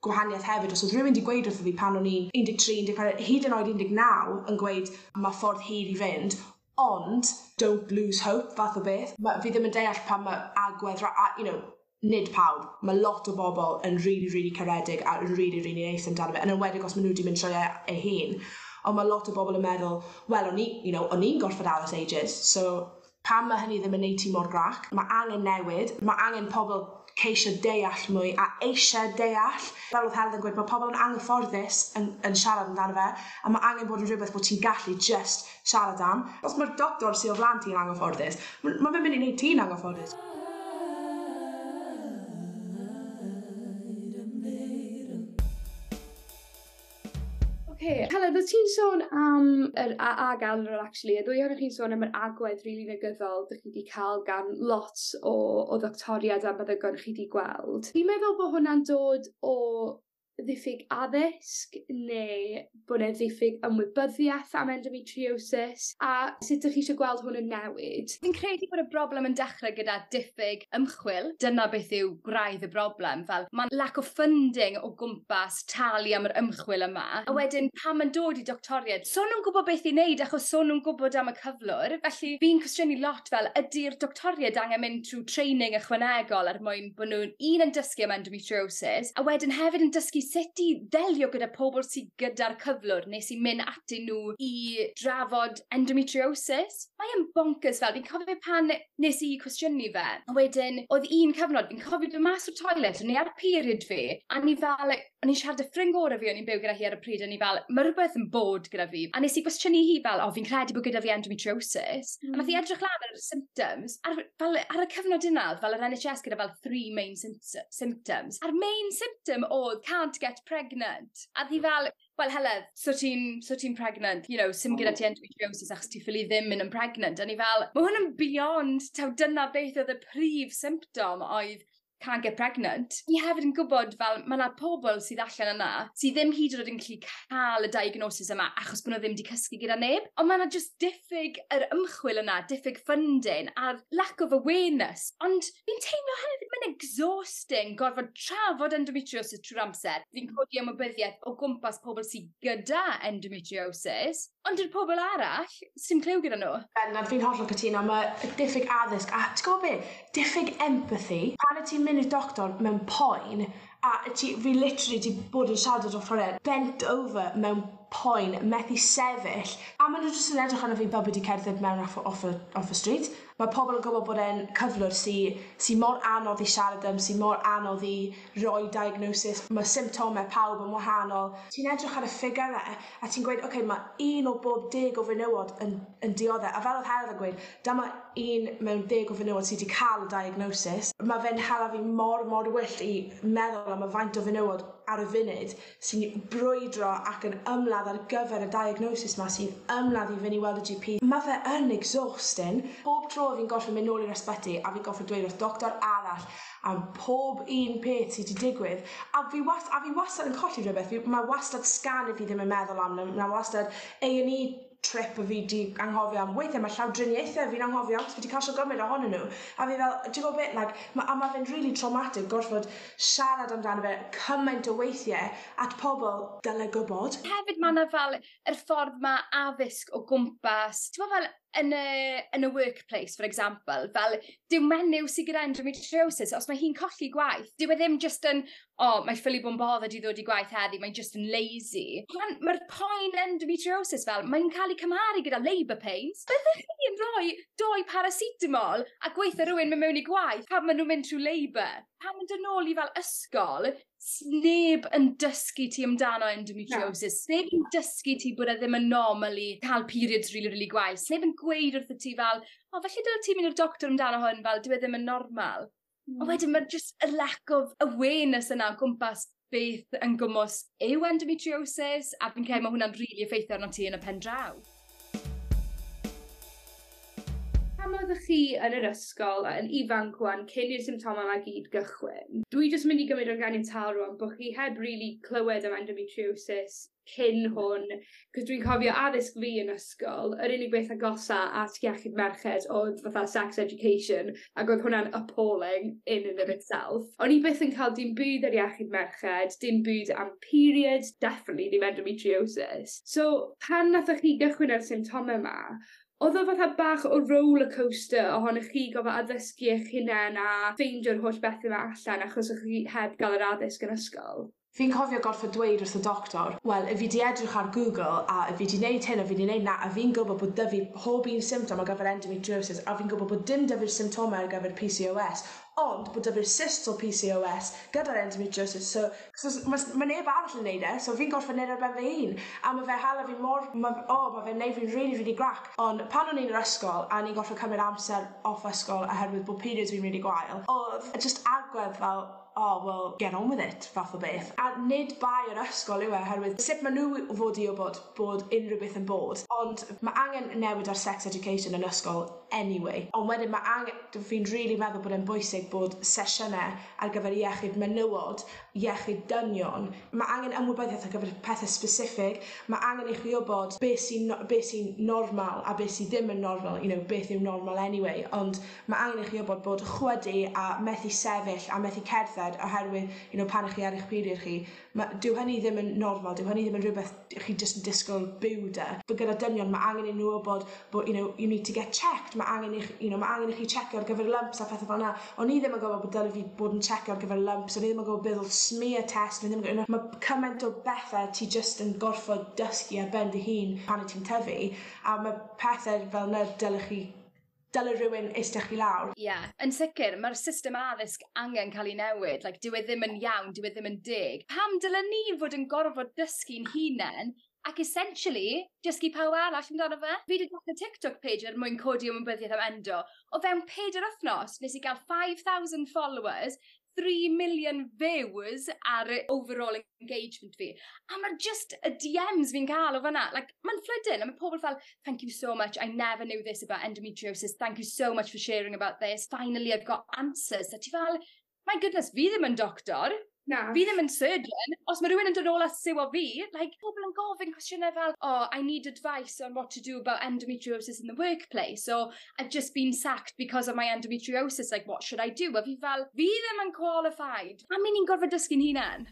gwahanieth hefyd os o'dd rywun 'di gweud wrtho fi pan o'n i'n un deg tri un deg pedwar hyd yn oed un deg naw yn gweud ma' ffordd hir i fynd ond don't lose hope fath o beth. Ma' fi ddim yn deall pan ma' agwedd ra- a you know nid pawb, ma' lot o bobl yn rili rili caredig a rili rili neis amdano fe yn enwedig os ma' n'w 'di mynd trwy e eu hun ond ma' lot o bobl yn meddwl wel o'n i you know o'n i'n gorffod aros ages so pam ma' hynny ddim yn neud ti mor grac? Ma' angen newid, ma' angen pobl ceisio deall mwy a eisie deall. Fel o'dd Helen yn gweud ma' pobl yn anghyfforddus yn, yn siarad amdano fe a ma' angen bod yn rhywbeth bod ti'n gallu just siarad am. Os ma'r doctor sy o flan ti'n anghyfforddus, ma' ma' fe'n mynd i neud ti'n anghyfforddus. Oce, Helen, o't ti'n sôn am yr a ag Elnor actually y ddwy ohonoch chi'n sôn am yr agwedd rili negyddol 'dych chi 'di ca'l gan lot o o ddoctoriad a meddygon chi 'di gweld. Fi'n meddwl bo' hwnna'n dod o ddiffyg addysg neu bo' 'ne ddiffyg ymwybyddiath am endometriosis a sut 'dych chi isio gweld hwn yn newid? Fi'n credu bod y broblem yn dechre gyda diffyg ymchwil. Dyna beth yw gwraidd y broblem fel ma' lack of funding o gwmpas talu am yr ymchwil yma a wedyn pan ma'n dod i doctoried so nw'n gwbo beth i neud achos so nw'n gwbod am y cyflwr felly fi'n cwestiynu lot fel ydi'r doctoried angen mynd trw training ychwanegol er mwyn bo' nw'n un yn dysgu am endometriosis a wedyn hefyd yn dysgu sut i ddelio gyda pobl sy gyda'r cyflwr neu sy'n mynd atyn nhw i drafod endometriosis. Mae yn bonkers fel fi'n cofio pan nes i cwestiynu fe a wedyn o'dd un cyfnod fi'n cofio dod mas o'r toilet o'n i ar period fi a o'n i fel o'n i'n siarad â ffrind gore fi o'n i'n byw gyda hi ar y pryd o'n i fel ma' rwbeth yn bod gyda fi a nes i gwestiynu hi fel o fi'n credu bod gyda fi endometriosis mm. a nath hi edrych lan ar y symptoms ar fel ar y cyfnod yna o'dd fel yr En H S gyda fel three main sympt- symptoms a'r main symptom o'dd can't get pregnant a o'dd hi fel wel Heledd, so ti'n so ti'n pregnant, you know, sim gyda ti endometriosis achos ti ffili ddim mynd yn pregnant. A ni fel, ma' hwn yn beyond, taw dyna beth oedd y prif symptom oedd can't get pregnant. Ni hefyd yn gwybod fel ma' 'na pobl sydd allan yna sydd ddim hyd yn oed yn gallu ca'l y diagnosis yma achos bo' n'w ddim 'di cysgu gyda neb. On' ma' 'na jyst diffyg yr ymchwil yna, diffyg funding a'r lack of awareness. Ond fi'n teimlo hefyd mae'n exhausting gorfod trafod endometriosis trwy'r amser. Fi'n codi ymwybyddiaeth o gwmpas pobl sydd gyda endometriosis, ond yw'r pobl arall sy'n clyw gyda nhw. Bendant, fi'n hollol cytuno, ma' diffyg addysg a ti'n gwybod be? Diffyg empathy. Pan y ti'n mynd i'r doctor mewn poen, a ti, fi literally 'di bod yn siarad â doctoriaid bent over mewn poen, methu sefyll, a maen nhw jyst yn edrych arno fi fel bod wedi cerdded mewn off, off, y, off y street. Mae pobl yn gwybod bod e'n cyflwr sy, sy mor anodd i siarad am, sy mor anodd i roi diagnosis. Mae symptomau pawb yn wahanol. Ti'n edrych ar y ffigurau a ti'n gweud, okay, mae un o bob deg o fenywod yn, yn dioddef. A fel oedd Heledd yn gweud, dyma un mewn deg o fenywod sydd wedi cael y diagnosis. Mae fe'n hala fi mor, mor wyllt i meddwl am y faint o fenywod ar y funud sy'n brwydro ac yn ymladd ar gyfer y diagnosis ma, sy'n ymladd i fynd i weld y G P. Mae fe yn exhausting. Bob tro fi'n gorfod mynd nôl i'r ysbyty a fi'n gorfod dweud wrth doctor arall am pob un peth sydd wedi digwydd a fi, was, a fi wastad yn colli rhywbeth. Fi, mae wastad scan i fi ddim yn meddwl am, mae wastad A and E trip a fi di anghofio am. Weithiau mae llawdriniaethau fi'n anghofio am, fi di cael gymaint ohonyn nhw a fi fel, ti'n gwybod beth, like, ma, a mae fe'n really traumatic gorfod siarad amdano fe cymaint o weithiau at pobl dyle gwybod. Hefyd mae yna fel yr ffordd mae addysg o gwmpas, ti'n gwbod, fel yn y, yn y workplace, for example, fel dyw menyw sydd gyda endometriosis, os mae hi'n colli gwaith, dyw e ddim just yn, "Oh, mae ffili bod yn bothered i ddod i gwaith heddi, mae'n just yn lazy." Mae'r ma poen endometriosis fel, mae'n cael ei cymharu gyda labour pains. Byddech chi yn rhoi doi paracetamol a gweithio rhywun mynd mewn i gwaith pan maen nhw'n mynd trwy labour? Pan maen dod nôl i fel ysgol, sneb yn dysgu ti amdano endometriosis. No. Sneb yn dysgu ti bod e ddim yn normal i cael periods really, really gwael. Sneb yn gweud wrtho ti fel, "O, oh, felly dyle ti mynd i'r doctor amdano hwn, fel, dyw e ddim yn normal." Mm. Ond wedyn mae just y lack of awareness yna o gwmpas beth yn gwmws yw endometriosis, a fi'n credu mae hwnna'n rili really effeithio arno ti yn y pen draw. Pan oeddech chi yn yr ysgol yn ifanc wan, cyn i'r symptomau yma gyd gychwyn, dwi jyst mynd i gymryd o'n ganiataol rwan bod chi heb really clywed am endometriosis cyn hwn, cos dwi'n cofio addysg fi yn ysgol, yr unig beth agosa at iechyd merched oedd fatha sex education, ac oedd hwnna'n appalling in and of itself. O'n i byth yn cael dim byd ar iechyd merched, dim byd am periods, definitely ddim endometriosis. So, pan nathoch chi gychwyn ar symptomau yma, oedd o fatha bach o roller coaster ohonych chi gofio addysgu eich hunain a ffeindio'r holl bethau yma allan achos o'ch chi heb gael yr addysg yn ysgol? Fi'n cofio gorfod dweud wrth y doctor, "Wel, fi 'di edrych ar Google a fi 'di neud hyn a fi 'di neud 'na a fi'n gwybod bod 'dy fi pob un symptom ar gyfer endometriosis a fi'n gwybod bod dim 'dy fi'r symptomau ar gyfer P C O S, ond bod 'dy fi'r cysts o P C O S gyda'r endometriosis, so, so ma, ma neb arall yn neud e, so fi'n gorfod neud ar ben fy hun." A ma' fe hala fi mor, ma, oh, ma' fe'n neud fi'n really, really grac. Ond pan o'n i'n yr ysgol a ni'n gorfod cymryd amser off ysgol oherwydd bod periods fi'n really gwael, oedd just agwedd fel, "Oh, well, get on with it," fath o beth. A nid bai yr ysgol yw e, oherwydd sut maen nhw fod i wybod bod unrhyw beth yn bod. Ond mae angen newid ar sex education yn ysgol anyway. Ond wedyn mae angen, fi'n really meddwl bod e'n bwysig bod sesiynau ar gyfer iechyd menywod, iechyd dynion. Mae angen ymwybyddiaeth ar gyfer pethau specific. Mae angen i chi wybod beth sy'n be sy normal a beth sydd ddim yn normal, you know, beth yw normal anyway. Ond mae angen i chi wybod bod chwydu a methu sefyll a methu cerdded oherwydd you know, pan ych chi ar eich period chi, ma, dyw hynny ddim yn normal, dyw hynny ddim yn rhywbeth chi jyst yn disgwyl byw 'da. But gyda dynion, mae angen i nhw wybod bod you know, you need to get checked, mae angen i, you know, mae angen i chi checio ar gyfer lumps a phethau fel yna. O'n i ddim yn gwybod bod dyle fi bod yn checio ar gyfer lumps, o'n i ddim yn gwybod beth oedd smear test, o'n i ddim yn gwybod, mae cymaint o bethau ti jyst yn gorfod dysgu ar ben dy hun pan wyt ti'n tyfu, a mae pethau fel yna dyle chi dyle rhywun eistedd chi lawr. Ie, yeah, yn sicr, mae'r system addysg angen cael ei newid. Like, dyw e ddim yn iawn, dyw e ddim yn deg. Pam dylen ni fod yn gorfod dysgu'n hunain ac essentially dysgu pawb arall amdano fe? Fi wedi dechrau TikTok page er mwyn codi ymwybyddiaeth am endo. O fewn peder wythnos, nes i gael five thousand followers, three million views ar overall engagement fi. A mae'r just y D Ms fi'n cael o fanna, like, mae'n flooding, a mae pobl fel, "Thank you so much, I never knew this about endometriosis, thank you so much for sharing about this, finally I've got answers." A ti fel, my goodness, fi ddim yn doctor, Na. fi ddim yn surgeon. Os mae rhywun yn dod nôl a siwio fi, like, pobl yn gofyn cwestiynau fel, "Oh, I need advice on what to do about endometriosis in the workplace," or "I've just been sacked because of my endometriosis, like, what should I do?" A fi fel, fi ddim yn qualified. A mi ni'n gorfod dysgu'n hunain.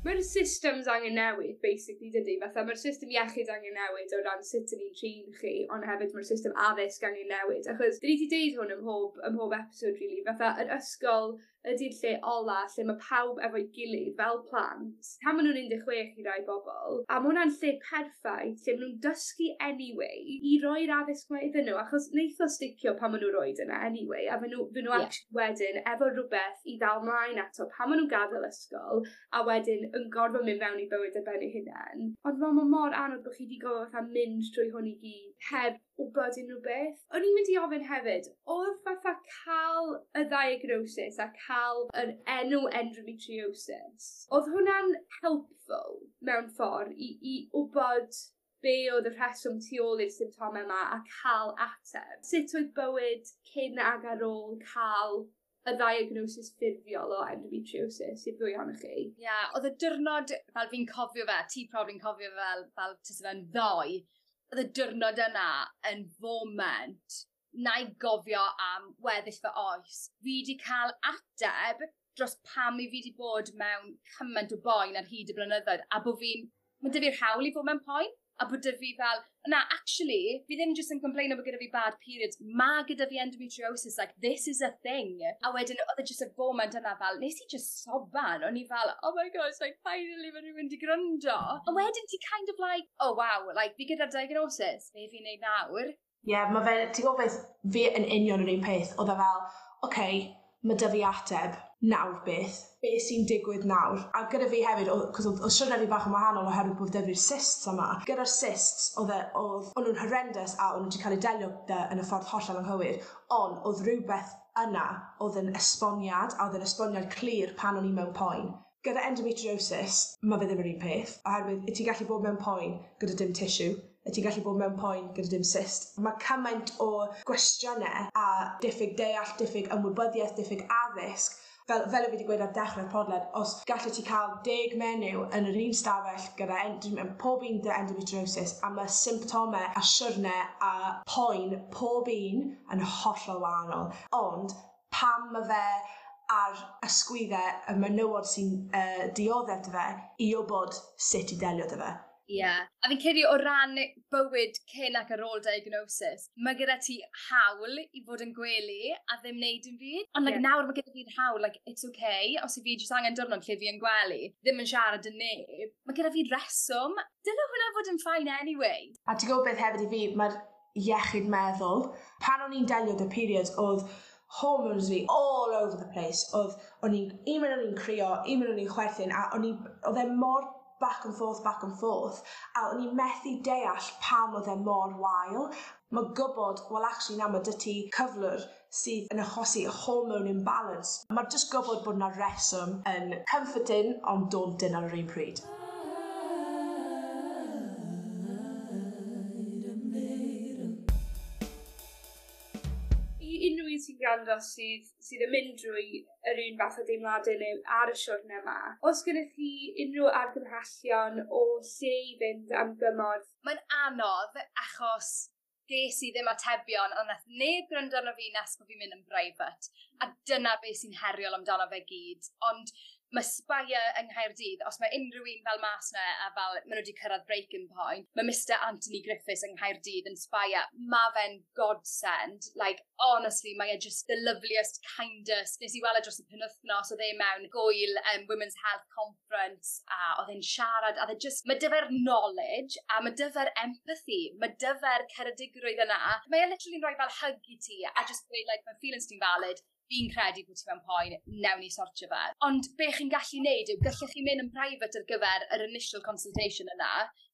Mae'r systems angen newid, basically, dydy? Fatha, mae'r system iechyd angen newid o ran sut ydyn ni'n trin chi, ond hefyd mae'r system addysg angen newid. Achos, dyn ni wedi deud hwn ym mhob, ym mhob episode, really. Fatha, yr ysgol, ydy'r lle ola lle ma' pawb efo'i gilydd fel plant tan ma' nw'n un deg chwech i rai bobol a ma' hwnna'n lle perffaith lle ma' nw'n dysgu anyway i roi'r addysg 'ma iddyn n'w achos neith o sticio pan ma' nw'r oed yna anyway a fy' n'w fy' n'w Ie. actually wedyn efo rwbeth i ddal mlaen ato pan ma' nw'n gadel ysgol a wedyn yn gorfod mynd mewn i bywyd ar ben eu hunen. Ond fel ma' mor anodd bo' chi 'di gorfo fatha mynd trwy hwn i gyd heb wbod unryw beth. O'n i'n mynd i ofyn hefyd o'dd fatha ca'l y ddiagnosis a ca'l yr enw endometriosis o'dd hwnna'n helpful mewn ffor i i wbod be' o'dd y rheswm tu ôl i'r symptome 'ma a ca'l ateb? Sut oedd bywyd cyn ag ar ôl ca'l y ddiagnosis ffurfiol o endometriosis i'r ddwy ohonoch chi? Ie, o'dd y diwrnod fel fi'n cofio fe, ti probably'n cofio fe fel fel tyse fe'n ddoe, o'dd y diwrnod yna yn foment 'nai gofio am weddill fy oes. Fi 'di ca'l ateb dros pam 'yf fi 'di bod mewn cyment o boen ar hyd y blynyddoedd a bo' fi'n ma' 'dy fi'r hawl i fod mewn poen a bod 'dy fi fel na actually fi ddim jyst yn complaino bo' gyda fi bad periods ma' gyda fi endometriosis like this is a thing. A wedyn o'dd e jyst y foment yna fel nes i jyst soban o'n i fel oh my gosh like finally ma' rywun 'di gryndo. A wedyn ti kind of like oh wow like fi gyda'r diagnosis be' fi'n neud nawr? Ie yeah, ma' fe ti'n gwbo beth fi yn union yr un peth o'dd e fel oce ma' 'dy fi ateb nawr beth? Be' sy'n digwydd nawr? A gyda fi hefyd o'dd 'c'os o'dd o'dd siwrne fi bach yn wahanol oherwydd bod 'dy fi'r cysts yma. Gyda'r cysts o'dd e o'dd o'n nw'n horrendous a o'n n'w 'di ca'l eu delio 'dy yn y ffordd hollol anghywir on' o'dd rywbeth yna o'dd yn esboniad a o'dd yn esboniad clir pan o'n i mewn poen. Gyda endometriosis ma' fe ddim yr un peth oherwydd 'yt ti gallu bod mewn poen gyda dim tissue 'yt ti gallu bod mewn poen gyda dim cyst. Ma' cymaint o gwestiyne a diffyg deall diffyg ymwybyddieth diffyg addysg fel fel 'yf fi 'di gweud ar dechre'r podled os gallet ti ca'l deg menyw yn yr un stafell gyda end- pob un 'dy endometriosis a ma' symptome a siwrne a poen pob un yn hollol wahanol ond pam ma' fe ar ysgwydde y menywod sy'n yy dioddef 'dy fe i wbod sut i delio 'dy fe. Ie. A fi'n credu o ran bywyd cyn ac ar ôl diagnosis ma' gyda ti hawl i fod yn gwely a ddim neud dim byd. Ond like Ie. nawr ma' gyda fi'r hawl like it's okay os 'yf fi jyst angen diwrnod lle fi yn gwely ddim yn siarad 'dy neb ma' gyda fi reswm. Dyle hwnna fod yn fine anyway. A ti gwbo beth hefyd i fi ma'r iechyd meddwl pan o'n i'n delio 'dy periods o'dd hormones fi all over the place o'dd o'n i'n un mun o'n i'n crio un mun o'n i'n chwerthin a o'n i o'dd e mor back and forth back and forth a o'n i methu deall pam o'dd e mor wael. Ma' gwbod wel actually na ma' 'dy ti cyflwr sydd yn achosi hormone imbalance. Ma' jyst gwbod bod 'na reswm yn comforting ond daunting ar yr un pryd. I unryw un sy'n gwrando sydd sydd yn mynd drwy yr un fath o deimlade neu ar y siwrne 'ma o's gennych chi unryw argymhellion o lle i fynd am gymorth? Mae'n anodd achos ges i ddim atebion on' nath neb gryndo arno fi nes bo' fi'n mynd yn brifat a dyna be' sy'n heriol amdano fe gyd ond ma' Spire yng Nghaerdydd os ma' unryw un fel mas 'na a fel ma' n'w 'di cyrradd breaking point ma' Mister Anthony Griffiths yng Nghaerdydd yn Spire ma' fe'n godsend like honestly mae e jyst the loveliest kindest nes i wel' e dros y penwthnos o'dd e mewn gwyl yym Women's Health Conference a o'dd e'n siarad a o'dd e jyst ma' 'dy fe'r knowledge a ma' 'dy fe'r empathi ma' 'dy fe'r ceredigrwydd yna. Mae e literally'n roi fel hug i ti a jyst gweud like ma' feelings ti'n valid fi'n credu bo' ti mewn poen newn ni sortio fe. Ond be' chi'n gallu neud yw gallech chi myn' yn private ar gyfer yr initial consultation yna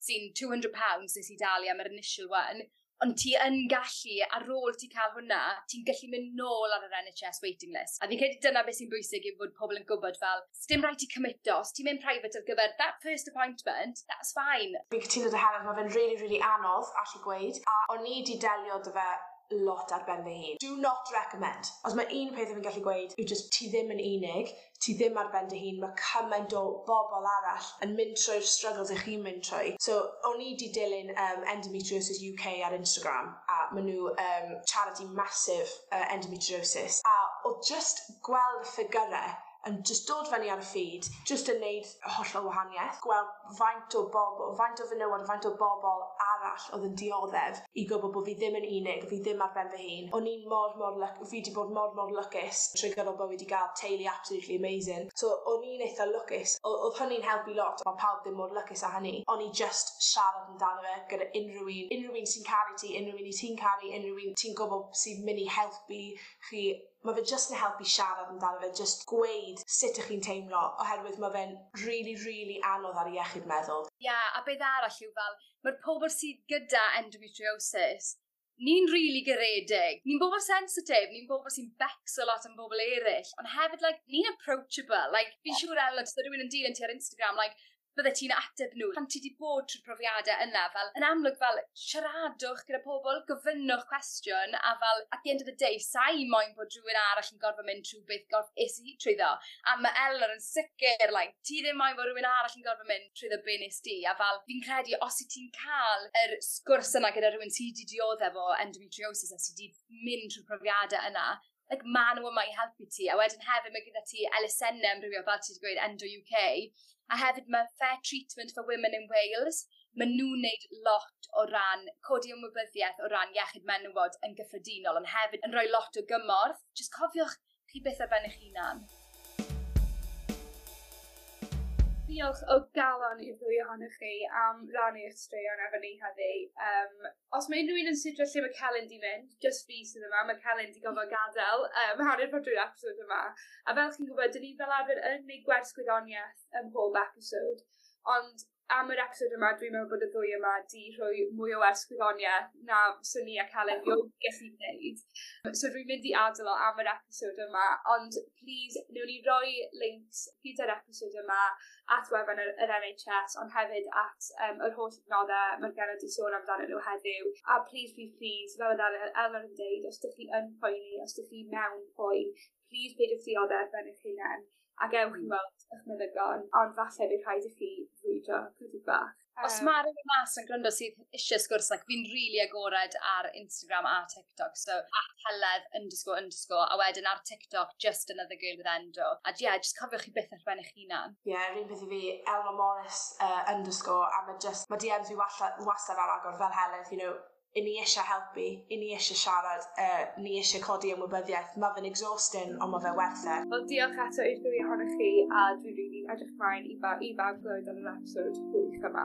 sy'n two hundred pounds nes i dalu am yr initial one ond ti yn gallu ar ôl ti ca'l hwnna ti'n gallu mynd nôl ar yr En Haitch Ess waiting list. A fi'n credu dyna beth sy'n bwysig yw bod pobol yn gwbod fel sdim raid ti cymito os ti'n mynd private ar gyfer that first appointment that's fine. Fi'n cytuno 'dy Heledd ma' fe'n rili rili anodd allu gweud a o'n i 'di delio 'dy fe lot ar ben fy hun. Do not recommend. Os ma' un peth 'yf fi'n gallu gweud yw jyst ti ddim yn unig, ti ddim ar ben dy hun, ma' cymaint o bobol arall yn mynd trwy'r struggles 'ych chi'n mynd trwy. So o'n i 'di dilyn um, Endometriosis U K ar Instagram a ma' nhw um, charity massive uh, endometriosis a o'dd just gweld y ffigyre yn just dod fyny ar y feed, just yn neud hollol wahaniaeth, gweld faint o bobl, faint o fenywod, faint o bobl arall oedd yn dioddef i gwybod bod fi ddim yn unig, fi ddim ar ben fy hun. O'n i'n mor, mor, luck, fi 'di bod mor, mor lwcus trwy gydol bywyd i gael teulu absolutely amazing. So o'n i'n eitha lwcus. O- Oedd hynny'n helpu lot. Mae pawb ddim mor lwcus â hynny. O'n i just siarad amdano fe gyda unrhyw un, unrhyw un sy'n caru ti, unrhyw un i ti'n caru, unrhyw un ti'n gwybod sy'n mynd i helpu chi. Mae fe just yn helpu siarad amdano fe, just gweud sut ych chi'n teimlo, oherwydd mae fe'n really, really anodd ar iechyd meddwl. Ie, yeah, a beth arall yw fel, mae'r pobl sydd gyda endometriosis, ni'n rili really garedig, ni'n bobl sensitif, ni'n bobl sy'n becso lot am bobl eraill, ond hefyd, like, ni'n approachable. Like, fi'n siŵr, Ellen, os rhywun yn dilyn ti ar Instagram, like, bydde ti'n ateb nhw pan ti 'di bod trwy'r profiadau yna, fel yn amlwg, fel siaradwch gyda pobl, gofynnwch cwestiwn, a fel at the end of the day, sa'i moyn bod rhywun arall yn gorfod mynd trwy beth gorff es i trwyddo, a mae Eleanor yn sicr, like, ti ddim moyn bod rhywun arall yn gorfod mynd trwyddo be nes di. A fel fi'n credu os y ti'n cael yr sgwrs yna gyda rhywun sydd wedi dioddef o endometriosis a sydd wedi mynd trwy'r profiadau yna, like, ma nhw yma i helpu ti. A wedyn hefyd mae gyda ti elusennau amrywio, fel ti wedi gweud, Endo U K, a hefyd mae Fair Treatment for Women in Wales. Maen nhw'n neud lot o ran codi ymwybyddiaeth o ran iechyd menywod yn gyffredinol, ond hefyd yn rhoi lot o gymorth. Just cofiwch chi byth ar ben eich hunan. Diolch o galon i'r ddwy ohonoch chi am rannu eich straeon efo ni heddi. Um, os mae unrhyw un yn sidro lle mae Celyn 'di mynd, just fi sydd yma, mae Celyn 'di gorfod gadael um, hanner ffordd drwy'r episode yma. A fel chi'n gwybod, dyn ni fel arfer yn gwneud gwers gwyddoniaeth ym mhob episode, ond am yr episode yma, dwi'n meddwl bod y ddwy yma 'di rhoi mwy o wers gwyddoniaeth na swn i a Celyn erioed gallu gwneud. So dwi'n mynd i adael o am yr episode yma, ond please, newn ni roi links gyda'r episode yma at wefan yr, yr N H S, ond hefyd at um, yr holl adnoddau mae'r genod 'di sôn amdanyn nhw heddiw. A please, please, please, fel oedd Eleanor yn deud, os ydych chi yn poeni, os ydych chi mewn poen, please peidiwch dioddef ar ben eich hunain ac ewch i weld eich meddygon, ond falle bydd rhaid i chi frwydro chydig bach. Os um, mae rhywun mas yn gwrando sydd eisiau sgwrs, like, fi'n really agored ar Instagram a TikTok, so at heledd underscore underscore, a wedyn ar TikTok, just another girl with endo. A yeah, just cofiwch chi byth ar ben eich hunan. Ie, yeah, yr un peth i fi, Eleanor Morris uh, underscore, a mae just, mae D Ms fi wastad ar agor fel Heledd, you know, i ni eisiau helpu, i ni eisiau siarad, uh, ni eisiau codi ymwybyddiaeth. Mae fe'n exhausting, ond mae fe werth e. Wel, diolch eto i'r ddwy ohonoch chi, a dwi'n rili edrych ymlaen i, ba i bawb glywed ar yr episode gwych yma.